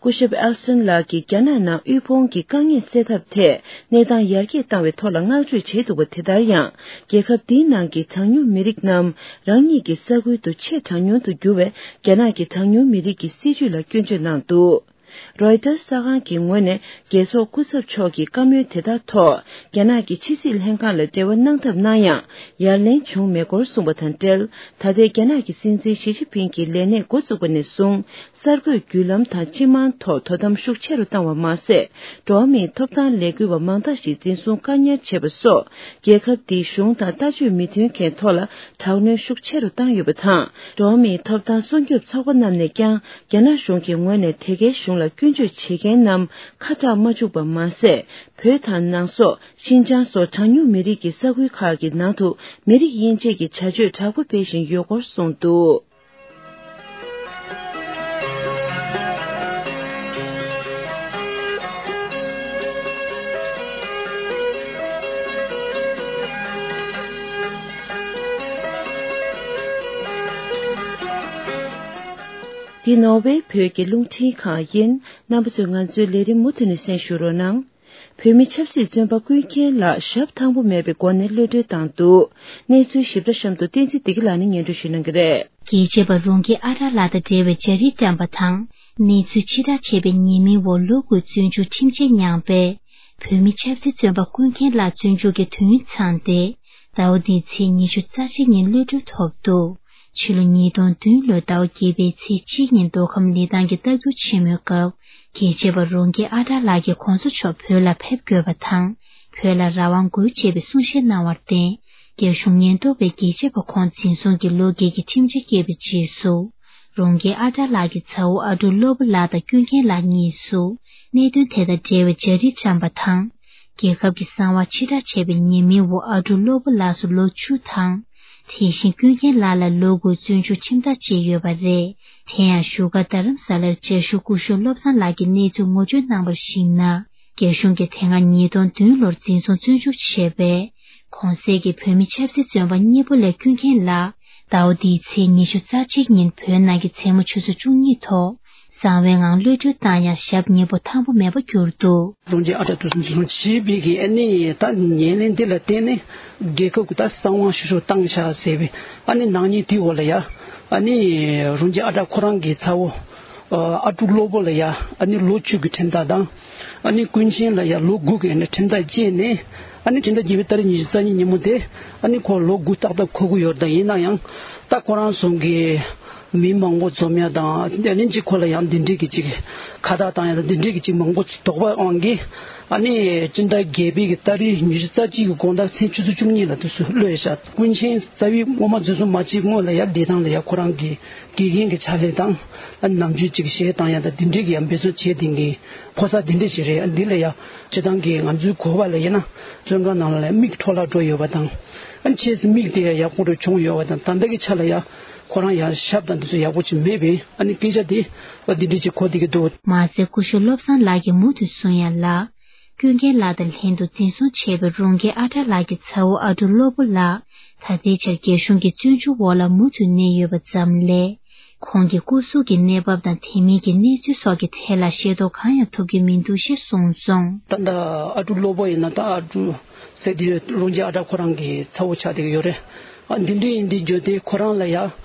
སྐུ་ཞབས་ཨེལ་སི་ཊན་ལགས་ཀྱིས་རྒྱ་ནག་ནང་དབུལ་ཕོངས་ཀྱི་དཀའ་ངལ་སེལ་ཐབས་ཐད་གནས་སྟངས་ཡར་རྒྱས་བཏང་བའི་ཐོག་ལ་བསྔགས་བརྗོད་བྱས་འདུག་པ། དེ་ལྟར་ཡང་། རྒྱལ་ཁབ་འདིའི་ནང་གི་གྲངས་ཉུང་མི་རིགས་རྣམས་རང་ཉིད་ཀྱི་ས་ཁུལ་དུ་ཆེས་གྲངས་ཉུང་དུ་གྱུར་བའི་རྒྱ་ནག་གི་གྲངས་ཉུང་མི་རིགས་ཀྱི་སྲིད་བྱུས་ལ་སྐྱོན་བརྗོད་གནང་འདུག་རོའི་ཊར་གསར་ཁང་གི་ངོས་ནས་རྒྱལ་ཚོགས་སྐུ་ཚབ་མཆོག་གི་བཀའ་མོལ་དེ་དག་ཐོག་རྒྱ་ནག་གི་ཕྱི་སྲིད་ལྷན་ཁང་ལ་འབྲེལ་བ་གནང་ཐབས་གནང་ཡང་ཡར་ལན་བྱུང་མེད་སྐོར་གསུངས་པ་དང་འབྲེལ། ད་ལྟའི་རྒྱ་ནག་གི་སྲིད་འཛིན་ཞི་ཅིན་ཕིང་གི་ལས་གནས་འགོ་བཙུགས་པ་ནས་བཟུང་གསར་འགོད་བརྒྱུད་ལམ་དང་སྤྱི་དམངས་ཐོག་དོ་དམ་ཤུགས་ཆེ་རུ་བཏང་བ་མ་ཟད། འགྲོ་བ་མིའི་ཐོབ་ཐང་ལས་འགུལ་བ་མང་དག་ཞིག་འཛིན་བཟུང་བཀག་ཉར་བྱས་པ་སོགས་རྒྱལ་ཁབ་འདིའི་གཞུང་དང་ལྟ་སྤྱོད་མི་མཐུན་མཁན་ཐོག་ལ་དྲག་གནོན་ཤུགས་ཆེ་རུ་བཏང་ཡོད་པ་དང་། འགྲོ་བ་མིའི་ཐོབ་ཐང་སྲུང་སྐྱོབ་ཚོགས་པ་རྣམས་ནས་ཀྱང་། རྒྱ་ནག་གཞུང་གི་ངོས་ནས་དེ་གའི་གཞུང་ལ་སྐྱོན་བརྗོད་བྱེད་མཁན་རྣམས་ཁ་གྲག་མ་བཅུག་པ་མ་ཟད། བོད་དང་ནང་སོག་ཤིན་ཅང་སོགས་གྲངས་ཉུང་མི་རིགས་ཀྱི་ས་ཁུལ་ཁག་གི་ནང་དུ་མི་རིགས་དབྱེ་འབྱེད་ཀྱི་བྱ་སྤྱོད་དྲག་པོ་སྤེལ་བཞིན་ཡོད་སྐོར་གསུངས་འདུག་འདི་ནོར་ཝེ་བོད་ཀྱི་རླུང་འཕྲིན་ཁང་ཡིན། རྣམ་པ་ཚོས་ང་ཚོའི་ལས་རིམ་མུ་མཐུད་ནས་གསན་ཞུ་རོགས་གནང་། བོད་མི་ཆབ་སྲིད་བཙོན་པ་ཀུན་མཁྱེན་ལགས་ཞབས་ཐང་པོ་མེད་པའི་སྒོ་ནས་གློད་གྲོལ་བཏང་འདུག་གནས་ཚུལ་ཞིབ་ཕྲ་གཤམ་དུ་བསྟན་འཛིན་བདེ་སྐྱིད་ལགས་ནས་སྙན་སྒྲོན་ཞུ་གནང་གི་རེད། རྒྱལ་གཅེས་པ་རོང་རྒྱས་ཨ་གྲགས་ལགས་དང་འབྲེལ་བའི་བྱ་རིགས་བཀྲམ་པ་དང་། གནས་ཚུལ་ཕྱིར་བསྒྲགས་བྱས་པའི་ཉེས་མིང་འོག་ལོ་དགུའི་བཙོན་འཇུག་ཁྲིམས་ཆད་མྱངས་པའི་བོད་མི་ཆབ་སྲིད་བཙོན་པ་ཀུན་མཁྱེན་ལགས་བཙོན་འཇུག་གི་དུས་ཡུན་ཚང་སྟེ། ཟླ་བ་འདིའི་ཚེས་ཉི་ཤུ་རྩ་གཅིག་ཉིན་གློད་གྲོལ་ཐོབ་འདུག་ཕྱི་ལོ་ཉིས་སྟོང་བདུན་ལོའི་ཟླ་བ་བརྒྱད་པའི་ཚེས་གཅིག་ཉིན་མདོ་ཁམས་ལི་ཐང་གི་རྟ་རྒྱུག་ཆེན་མོའི་སྐབས། རྒྱལ་གཅེས་པ་རོང་རྒྱས་ཨ་གྲགས་ལགས་ཀྱིས་གོང་ས་མཆོག་བོད་ལ་ཕེབས་དགོས་པ་དང་། བོད་ལ་རང་དབང་དགོས་ཅེས་པའི་གསུང་བཤད་གནང་བར་བརྟེན། རྒྱ་གཞུང་ཉེན་རྟོག་པས་རྒྱལ་གཅེས་པ་ཁོང་འཛིན་བཟུང་གིས་ལོ་བརྒྱད་ཀྱི་ཁྲིམས་ཆད་བཀལ་བའི་རྗེས་སུ། རོང་རྒྱས་ཨ་གྲགས་ལགས་ཀྱི་ཚ་བོ་ཨ་འབྲུག་བློ་བོ་ལགས་དང་ཀུན་མཁྱེན་ལགས་གཉིས་སུ། གནད་དོན་དེ་དང་འབྲེལ་བའི་བྱ་རིགས་བཀྲམ་པ་དང་། རྒྱལ་ཁབ་ཀྱི་གསང་བ་ཕྱིར་བསྒྲགས་བྱས་པའི་ཉེས་མིང་འོག་ཨ་འབྲུག་བློ་བོ་ལགས་སུ་ལོ་བཅུ་དང་། དེ་བཞིན་ཀུན་མཁྱེན་ལགས་ལ་ལོ་དགུའི་བཙོན་འཇུག་ཁྲིམས་ཐག་བཅད་ཡོད་པ་རེད། དེ་ཡང་བཞུགས་སྒར་རྡ་རམ་ས་ལར་བཅའ་བཞུགས་སྐུ་ཞབས་བློ་བཟང་ལགས་ཀྱིས་གནས་ཚུལ་ངོ་སྤྲོད་གནང་བར་གཞིགས་ན། རྒྱ་གཞུང་གིས་དེ་སྔ་ཉིས་སྟོང་བདུན་ལོར་འཛིན་བཟུང་བཙོན་འཇུག་བྱས་པའི་གོང་གསལ་གྱི་བོད་མི་ཆབ་སྲིད་བཙོན་པ་གཉིས་པོ་ལས་ཀུན་མཁྱེན་ལགས་ཟླ་བ་འདིའི་ཚེས་ཉི་ཤུ་རྩ་གཅིག་ཉིན་བོད་ནང་གི་མཚན་མོ་ཆུ་ཚོད་བཅུ་གཉིས་ཐོག་གསང་བའི་ངང་གློད་གྲོལ་བཏང་ཡང་ཞབས་གཉིས་པོ་ཐང་པོ་མེད་པར་གྱུར་འདུག་རོང་རྒྱས་ཨ་གྲགས་དུས་སུ་འཛིན་བཟུང་བྱས་པའི་གི་ཨ་ནི་ད་ཉེས་ལན་འདི་ལ་བརྟེན་ནས་རྒྱལ་ཁབ་ཀྱི་ད་གསང་བ་ཤུ་ཤོ་བཏང་བཞག་ཟེར་བའི་ཨ་ནི་ནག་ཉེས་དེའི་འོག་ལ་ཡ་ཨ་ནི་རོང་རྒྱས་ཨ་གྲགས་ཁོ་རང་གི་ཚ་བོ་ཨ་ཨ་འབྲུག་བློ་བོ་ལ་ཡ་ཨ་ནི་ལོ་བཅུ་གི་ཁྲིམས་ཐག་དང་། ཨ་ནི་ཀུན་མཁྱེན་ལ་ཡང་ལོ་དགུ་གི་ཨ་ནི་ཁྲིམས་ཐག་བཅད་ནས་ཨ་ནི་ཕྱི་ཟླ་བརྒྱད་པའི་ཏ་རིག་ཉི་ཤུ་རྩ་གཉིས་ཉིན་མོ་དེ་ཨ་ནི་ཁོ་ལོ་དགུ་ཏག་ཏག་འཁོར་གི་ཡོད་རེད། ད་ཡིན་ན་ཡང་ད་ཁོ་རང་ཚོ་གི་མི་མང་པོ་འཛོམས་ཡ་དང་ཨ་ནི་གཅིག་ཁོ་ལ་ཡང་འདི་འདྲའི་གི་གཅིག་ཁ་བརྡ་བཏང་ཡ་དང་འདི་འདྲའི་གི་གཅིག་མང་པོ་དོགས་པ་དབང་གིས་ཨ་ནི་ཕྱི་ཟླ་བརྒྱད་པའི་གི་ཏ་རིག་ཉི་ཤུ་རྩ་གཅིག་གི་དགོང་དག་མཚན་ཆུ་ཚོད་བཅུ་གཉིས་ལ་དུས་སུ་གློད་བཞག་ཀུན་མཁྱེན་རྩ་བའི་སྔོན་མ་འཛིན་བཟུང་མ་བྱས་སྔོན་ལ་ཡ་བདེ་ཐང་ལ་ཡ་ཁོ་རང་གི་དགེ་རྒན་གྱི་ཕྱག་ལས་དང་ཨ་ནི་ནམ་རྒྱུན་གཅིག་གཞས་བཏང་ཡ་དང་འདི་འདྲའི་གི་ཡང་འབད་བརྩོན་བྱས་དེ་གི་ཕོ་གསར་འདི་འདྲ་ཞིག་རེད། འདི་ལ་ཡ་སྤྱི་བཏང་གི་ང་ཚོའི་གོ་བ་ལ་ཡིན་ན་བཙོན་ཁང་ནང་ལ་ཡ་མིག་འཕྲོ་བརླག་འགྲོ་ཡོད་པ་དང་ཨ་ནི་ཆེས་སུ་མིག་དེ་ཡ་ཡག་པོ་རུ་བྱུང་ཡོད་པ་དང་ད་ལྟ་གི་ཆ་ལ་ཡ་ཁོ་རང་ཡ་ཞབས་དང་འདི་ཚོ་ཡག་པོ་ཅིག་མེད་པས་ཨ་ནི་སྐད་ཆ་དེ་འདི་འདྲ་ཅིག་གོ་བསྡད་ཀྱི་འདུག་མ་ཟད་སྐུ་ཞབས་བློ་བཟང་ལགས་ཀྱིས་མུ་མཐུད་གསུང་ཡ་ལ། ཀུན་མཁྱེན་ལགས་དང་ལྷན་དུ་འཛིན་བཟུང་བྱས་པའི་རོང་རྒྱས་ཨ་གྲགས་ལགས་ཀྱི་ཚ་བོ་ཨ་འབྲུག་བློ་བོ་ལགས་ད་ལྟའི་ཆར་རྒྱ་གཞུང་གི་བཙོན་འཇུག་འོག་ལ་མུ་མཐུད་གནས་ཡོད་པ་ཙམ་ལས། ཁོང་གི་སྐུ་གཟུགས་ཀྱི་གནས་བབ་དང་དེ་མིན་གྱི་གནས་ཚུལ་སོགས་ཀྱི་ཐད་ལ་ཤེས་རྟོགས་གང་ཡང་ཐུབ་ཀྱི་མི་འདུག་ཅེས་གསུངས་སོང་། ད་ལྟ་ཨ་འབྲུག་བློ་བོ་ཡིན་ན་ད་ཨ་འབྲུག་ཟེར་དེ་རོང་རྒྱས་ཨ་གྲགས་ཁོ་རང་གི་ཚ་བོ་ཆགས་བསྡད་ཀྱི་ཡོད་རེད། ཨ་འདི་འདྲ་ཡིན་དུས་བརྗོད་དེ་ཁོ་རང་ལ་ཡ་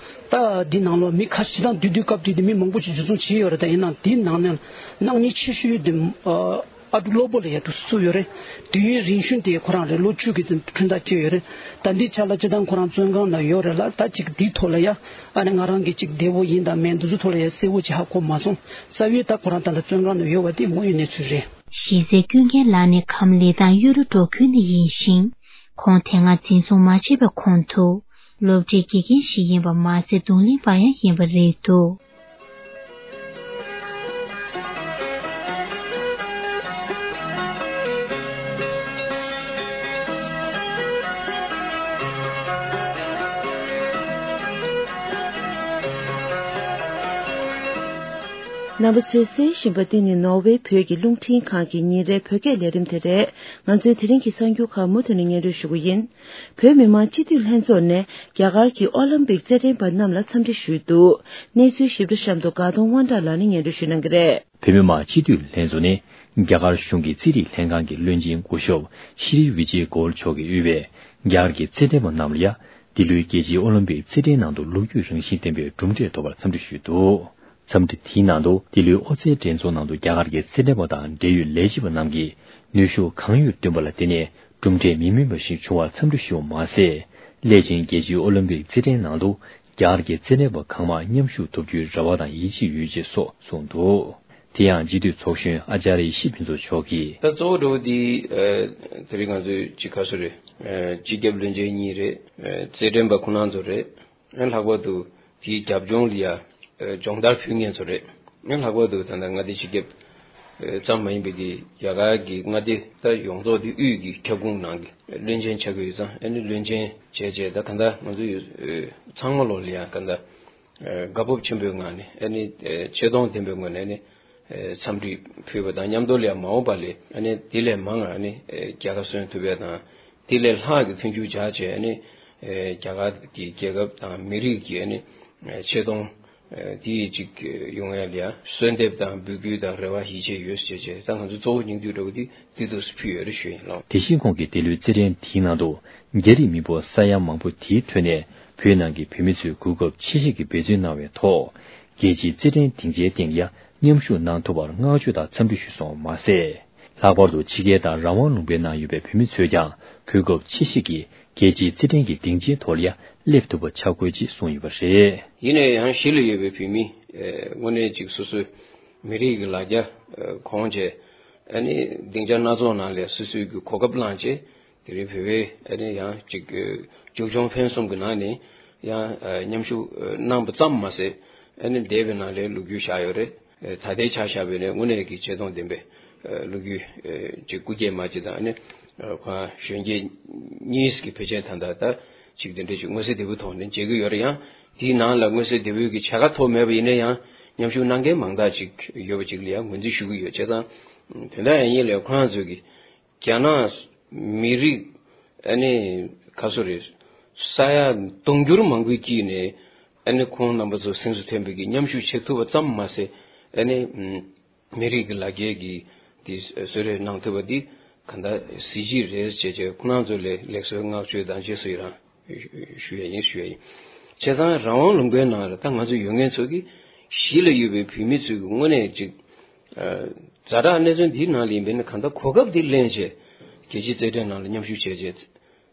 ད་འདི་ནང་ལོགས་མི་ཁ་ཤས་དང་དུས་དུས་སྐབས་དུས་དུས་མི་མང་པོ་ཞིག་འཇུ་བཟུང་བྱས་ཡོད་རེད། ད་ཡིན་ནའང་འདི་ནང་ནས་ནག་ཉེས་ཆེ་ཤོས་དེ་ཨ་ཨ་འབྲུག་བློ་བོ་ལ་ཡ་དུ་སུ་ཡོད་རེད། དུས་ཡུན་རིང་ཤོས་དེ་ཁོ་རང་རེད། ལོ་བཅུ་གི་ཁྲིམས་ཐག་བཅད་ཡོད་རེད། ད་འདི་ཆ་ལ་སྤྱི་བཏང་ཁོ་རང་བཙོན་ཁང་ནང་ཡོད་རེད་ལ། ད་ཅིག་འདིའི་ཐོག་ལ་ཡ་ཨ་ནི་ང་རང་གི་ཅིག་བདེ་བོ་ཡིན་དང་མེད་འདི་ཚོ་ཐོག་ལ་ཡ་གསལ་བོ་ཅིག་ཧ་གོ་མ་སོང་། རྩ་བའི་ད་ཁོ་རང་ད་ལྟ་བཙོན་ཁང་ནང་ཡོད་པ་དེ་དངོས་ཡོད་གནས་ཚུལ་རེད། གཞི་རྩའི་ཀུན་མཁྱེན་ལགས་ནི་ཁམས་ལི་ཐང་གཡོ་རུ་འབྲོག་ཁུལ་ནས་ཡིན་ཞིང་། ཁོང་དེ་སྔ་འཛིན་བཟུང་མ་བྱས་པའི་གོང་དུ། སློབ་གྲྭའི་དགེ་རྒན་ཞིག་ཡིན་པ་མ་ཟད་རྡུང་ལེན་པ་ཡང་ཡིན་པ་རེད་འདུག་རྣམ་པ་ཚོས་གསན་བཞིན་པ་འདི་ནི་ནོར་ཝེ་བོད་ཀྱི་རླུང་འཕྲིན་ཁང་གི་ཉིན་རེའི་བོད་སྐད་ལས་རིམ་དེ་རེད། ང་ཚོའི་དེ་རིང་གི་གསར་འགྱུར་ཁག་མུ་མཐུད་ནས་སྙན་སྒྲོན་ཞུ་གི་ཡིན། བོད་མི་མང་སྤྱི་འཐུས་ལྷན་ཚོགས་ནས་རྒྱ་གར་གྱི་ཨོ་ལིམ་པིག་རྩེད་འགྲན་པ་རྣམས་ལ་འཚམས་འདྲི་ཞུས་འདུག་གནས་ཚུལ་ཞིབ་ཕྲ་གཤམ་དུ་དགའ་གདོང་དབང་གྲགས་ལགས་ནས་སྙན་སྒྲོན་ཞུ་གནང་གི་རེད། བོད་མི་མང་སྤྱི་འཐུས་ལྷན་ཚོགས་ནས་རྒྱ་གར་གཞུང་གི་རྩིས་རིག་ལྷན་ཁང་གི་བློན་ཆེན་སྐུ་ཞབས་ཤྲི་བི་ཇེ་གོལ་མཆོག་གིས་དབུས་པའི་རྒྱ་གར་གྱི་རྩེད་འགྲན་པ་རྣམས་ལ་ཡ། འདི་ལོའི་རྒྱལ་སྤྱིའི་ཨོ་ལིམ་པིག་རྩེད་འགྲན་ནང་དུ་ལོ་རྒྱུས་རང་བཞིན་ལྡན་པའི་གྲུབ་འབྲས་ཐོབ་པར་འཚམས་འདྲི་ཞུས་འདུག་འཚམས་འདྲི་དེའི་ནང་དུ་འདི་ལོའི་ཨོ་རྩལ་འགྲན་ཚོགས་ནང་དུ་རྒྱ་གར་གྱི་རྩེད་འགྲན་པ་དང་འབྲེལ་ཡོད་ལས་བྱེད་པ་རྣམས་ཀྱིས་ནུས་ཤུགས་གང་ཡོད་བཏོན་པ་ལ་བརྟེན་ནས་གྲུབ་འབྲས་མི་སྨིན་པ་ཞིག་བྱུང་བར་འཚམས་འདྲི་ཞུ་བ་མ་ཟད། སླད་ཕྱིན་རྒྱལ་སྤྱིའི་ཨོ་ལིམ་པིག་རྩེད་འགྲན་ནང་དུ་རྒྱ་གར་གྱི་རྩེད་འགྲན་པ་གང་མང་མཉམ་ཞུགས་ཐུབ་རྒྱུའི་རེ་བ་དང་ཡིད་ཆེས་ཡོད་ཅེས་སོགས་གསུངས་འདུག་དེ་ཡང་སྤྱི་འཐུས་ཚོགས་གཞོན་ཨ་ཅཱ་རི་ཡེ་ཤེས་ཕུན་ཚོགས་མཆོག་གིས། ད་གཙོ་བོ་འགྲོ་བ་འདི་ཨ་དེ་རིང་ང་ཚོའི་སྤྱི་ཁ་སོ་རེད། ཨ་སྤྱི་ཁྱབ་བློན་ཆེན་གཉིས་རེད། ཨ་རྩེད་འགྲན་པ་ཁོ་རང་ཚོ་རེད། ཨ་ལྷག་པར་དུ་དེའི་རྒྱབ་ལྗོངས་ལ་ཡ་ཨ་སྦྱོང་བརྡར་ཕུལ་མཁན་ཚོ་རེད། ཨ་ལྷག་པར་དུ་ད་ལྟ་མངའ་སྡེ་སྤྱི་ཁྱབ་ཨ་ཙམ་མ་ཡིན་པའི་གི་རྒྱ་གར་གྱི་མངའ་སྡེ་ད་ཡོངས་རྫོགས་དེ་དབུས་ཀྱི་ཁྱབ་ཁོངས་ནང་གི་བློན་ཆེན་ཆགས་ཀྱི་ཡོད་ཙང་ཨ་ནི་བློན་ཆེན་བྱས་བྱས་ད་ག་འདྲ་ང་ཚོ་ཡོད་ཨ་ཚང་མ་ལོ་ལ་ཡ་ག་འདྲ་ཨ་དགའ་སྤོབས་ཆེན་པོའི་ངང་ནས་ཨ་ནི་ཨ་ཆེ་མཐོང་ལྡན་པའི་ངོས་ནས་ཨ་ནི་ཨ་འཚམས་འདྲི་ཕུལ་བ་དང་མཉམ་དུ་ལ་ཡང་མ་འོངས་པ་ལ་ཨ་ནི་དེ་ལས་མང་ང་ཨ་ནི་ཨ་རྒྱལ་ཁ་སོན་ཐུབ་ཡ་དང་དེ་ལས་ལྷག་གི་མཐུན་འགྱུར་བྱ་བྱས་ཨ་ནི་ཨ་རྒྱ་གར་གྱི་རྒྱལ་ཁབ་དང་མི་རིགས་ཀྱི་ཨ་ནི་ཨ་ཆེ་མཐོང་ དེ་ཡི་གཅིག་ཡོང་ཡ་ལ་ཡ་གསོལ་འདེབས་དང་འབོད་སྐུལ་དང་རེ་བ་ཡིད་ཆེས་ཡོད་ཟེར་བྱས། ད་ང་ཚོ་གཙོ་བོ་སྙིང་བསྡུས་འདྲ་བོ་དེ་དེ་འདུག་སེ་ཕུལ་ཡོད་རེད་ཞུ་ཡིན་ལགས། དེ་བཞིན་ཁོང་གིས་འདི་ལོའི་རྩེད་འགྲན་དེའི་ནང་དུ་རྒྱ་རིགས་མི་འབོར་ས་ཡ་མང་པོ་དེའི་ཁྲོད་ནས་བོད་ནང་གི་བོད་མི་ཚོས་གོ་སྐབས་ཆེ་ཤོས་ཀྱི་འབད་བརྩོན་གནང་བའི་ཐོག་རྒྱལ་སྤྱིའི་རྩེད་འགྲན་སྡིངས་ཆའི་སྟེང་ཡ་མཉམ་ཞུགས་གནང་ཐུབ་པར་བསྔགས་བརྗོད་དང་འཚམས་འདྲི་ཞུས་སོང་བ་མ་ཟད། ལྷག་པར་དུ་ཕྱི་རྒྱལ་དང་རང་དབང་ལུང་པའི་ནང་ཡོད་པའི་བོད་མི་ཚོས་ཀྱང་གོ་སྐབས་ཆེ་ཤོས་ཀྱི་རྒྱལ་སྤྱིའི་རྩེད་འགྲན་གྱི་སྡིངས་ཆའི་ཐོག་ལ་ཡ་སླེབས་ཐུབ་པ་བྱ་དགོས་ཅེས་གསུངས་ཡོད་པ་རེད། ཡིན་ན་ཡང་གཞིས་ལ་ཡོད་པའི་བོད་མི་དངོས་གནས་ཅིག་སོ་སོའི་མི་རིགས་ཀྱི་ལ་རྒྱ་གོང་བྱས། ཨ་ནི་སྡིངས་ཆ་སྣ་ཚོགས་ནང་ལ་སོ་སོའི་གི་གོ་སྐབས་བླངས་བྱས། དེ་རིང་བོད་པའི་ཨ་ནི་ཡང་ཅིག་ཨ་ཅོ་ཅོང་ཕན་གསུམ་གྱི་ནང་ནས་ཡང་ཨ་མཉམ་ཞུགས་ཨ་གནང་པ་ཙམ་མ་ཟད། ཨ་ནི་འདས་པའི་ནང་ལ་ལོ་རྒྱུས་བཞག་ཡོད་རེད། ཨ་ད་ལྟའི་ཆ་བཞག་པ་ཡིན་ན་དངོས་གནས་ཀྱི་ཆེ་མཐོང་ལྡན་པའི་ཨ་ལོ་རྒྱུས་ཨ་ཅིག་སྐུ་སྐྱེས་མ་ཅིག་དང་། ཨ་ནི་ཨ་ཁོ་གཞོན་སྐྱེས་གཉིས་ཀྱི་ཕལ་ཆེར་ད་ལྟ་ད་ཅིག་དེ་འདྲ་ཅིག་མངོན་གསལ་དོད་པོའི་ཐོག་ནས་མཇལ་གྱི་ཡོད་རེད། ཡང་དེའི་ནང་ལ་མངོན་གསལ་དོད་པོའི་གི་བྱ་དགའ་ཐོབ་མེད་པ་ཡིན་ན་ཡང་། མཉམ་ཞུགས་གནང་མཁན་མང་དག་ཅིག་ཡོད་པ་ཅིག་ལ་ཡང་ངོས་འཛིན་ཞུ་གི་ཡོད། བྱས་ཙང་དེ་འདྲ་ཡིན་ཡིན་ལས་ཁོ་རང་ཚོས་ཀྱི་རྒྱ་ནག་མི་རིགས་ཨ་ནི་ག་ཚོད་རེད། ས་ཡ་དུང་ཕྱུར་མང་པོའི་དཀྱིལ་ནས་ཨ་ནི་ཁོང་རྣམ་པ་ཚོ་གཟེངས་སུ་ཐོན་པའི་གི་མཉམ་ཞུགས་བྱེད་ཐུབ་པ་ཙམ་མ་ཟད། ཨ་ནི་མི་རིགས་ཀྱི་ལ་རྒྱའི་གི་དེ་གསོལ་རས་གནང་ཐུབ་པ་འདི་ག་འདྲ་གཟི་བརྗིད་རེད་ཅེས་བྱས། ཁོང་རྣམ་ཚོ་ལ་ལེགས་གསོལ་བསྔགས་བརྗོད་དང་རྗེས་སུ་ཡི་རང་ཞུ་ཡས་ཡིན། ཞུ་ཡས་ཡིན། བྱས་ཙང་རང་དབང་ལུང་པའི་ནང་ལ་ད་ང་ཚོ་ཡོད་མཁན་ཚོ་གི་གཞིས་ལ་ཡོད་པའི་བོད་མི་ཚོས་ཀྱི་དངོས་གནས་ཅིག་ཨ་ཛ་དྲག་གནད་དོན་འདིའི་ནང་ལ་ཡིན་པས་ན། གང་ལྟར་གོ་སྐབས་འདི་ལེན་བྱས་རྒྱལ་སྤྱིའི་རྩེད་འགྲན་ནང་ལ་མཉམ་ཞུགས་བྱས་རྗེས།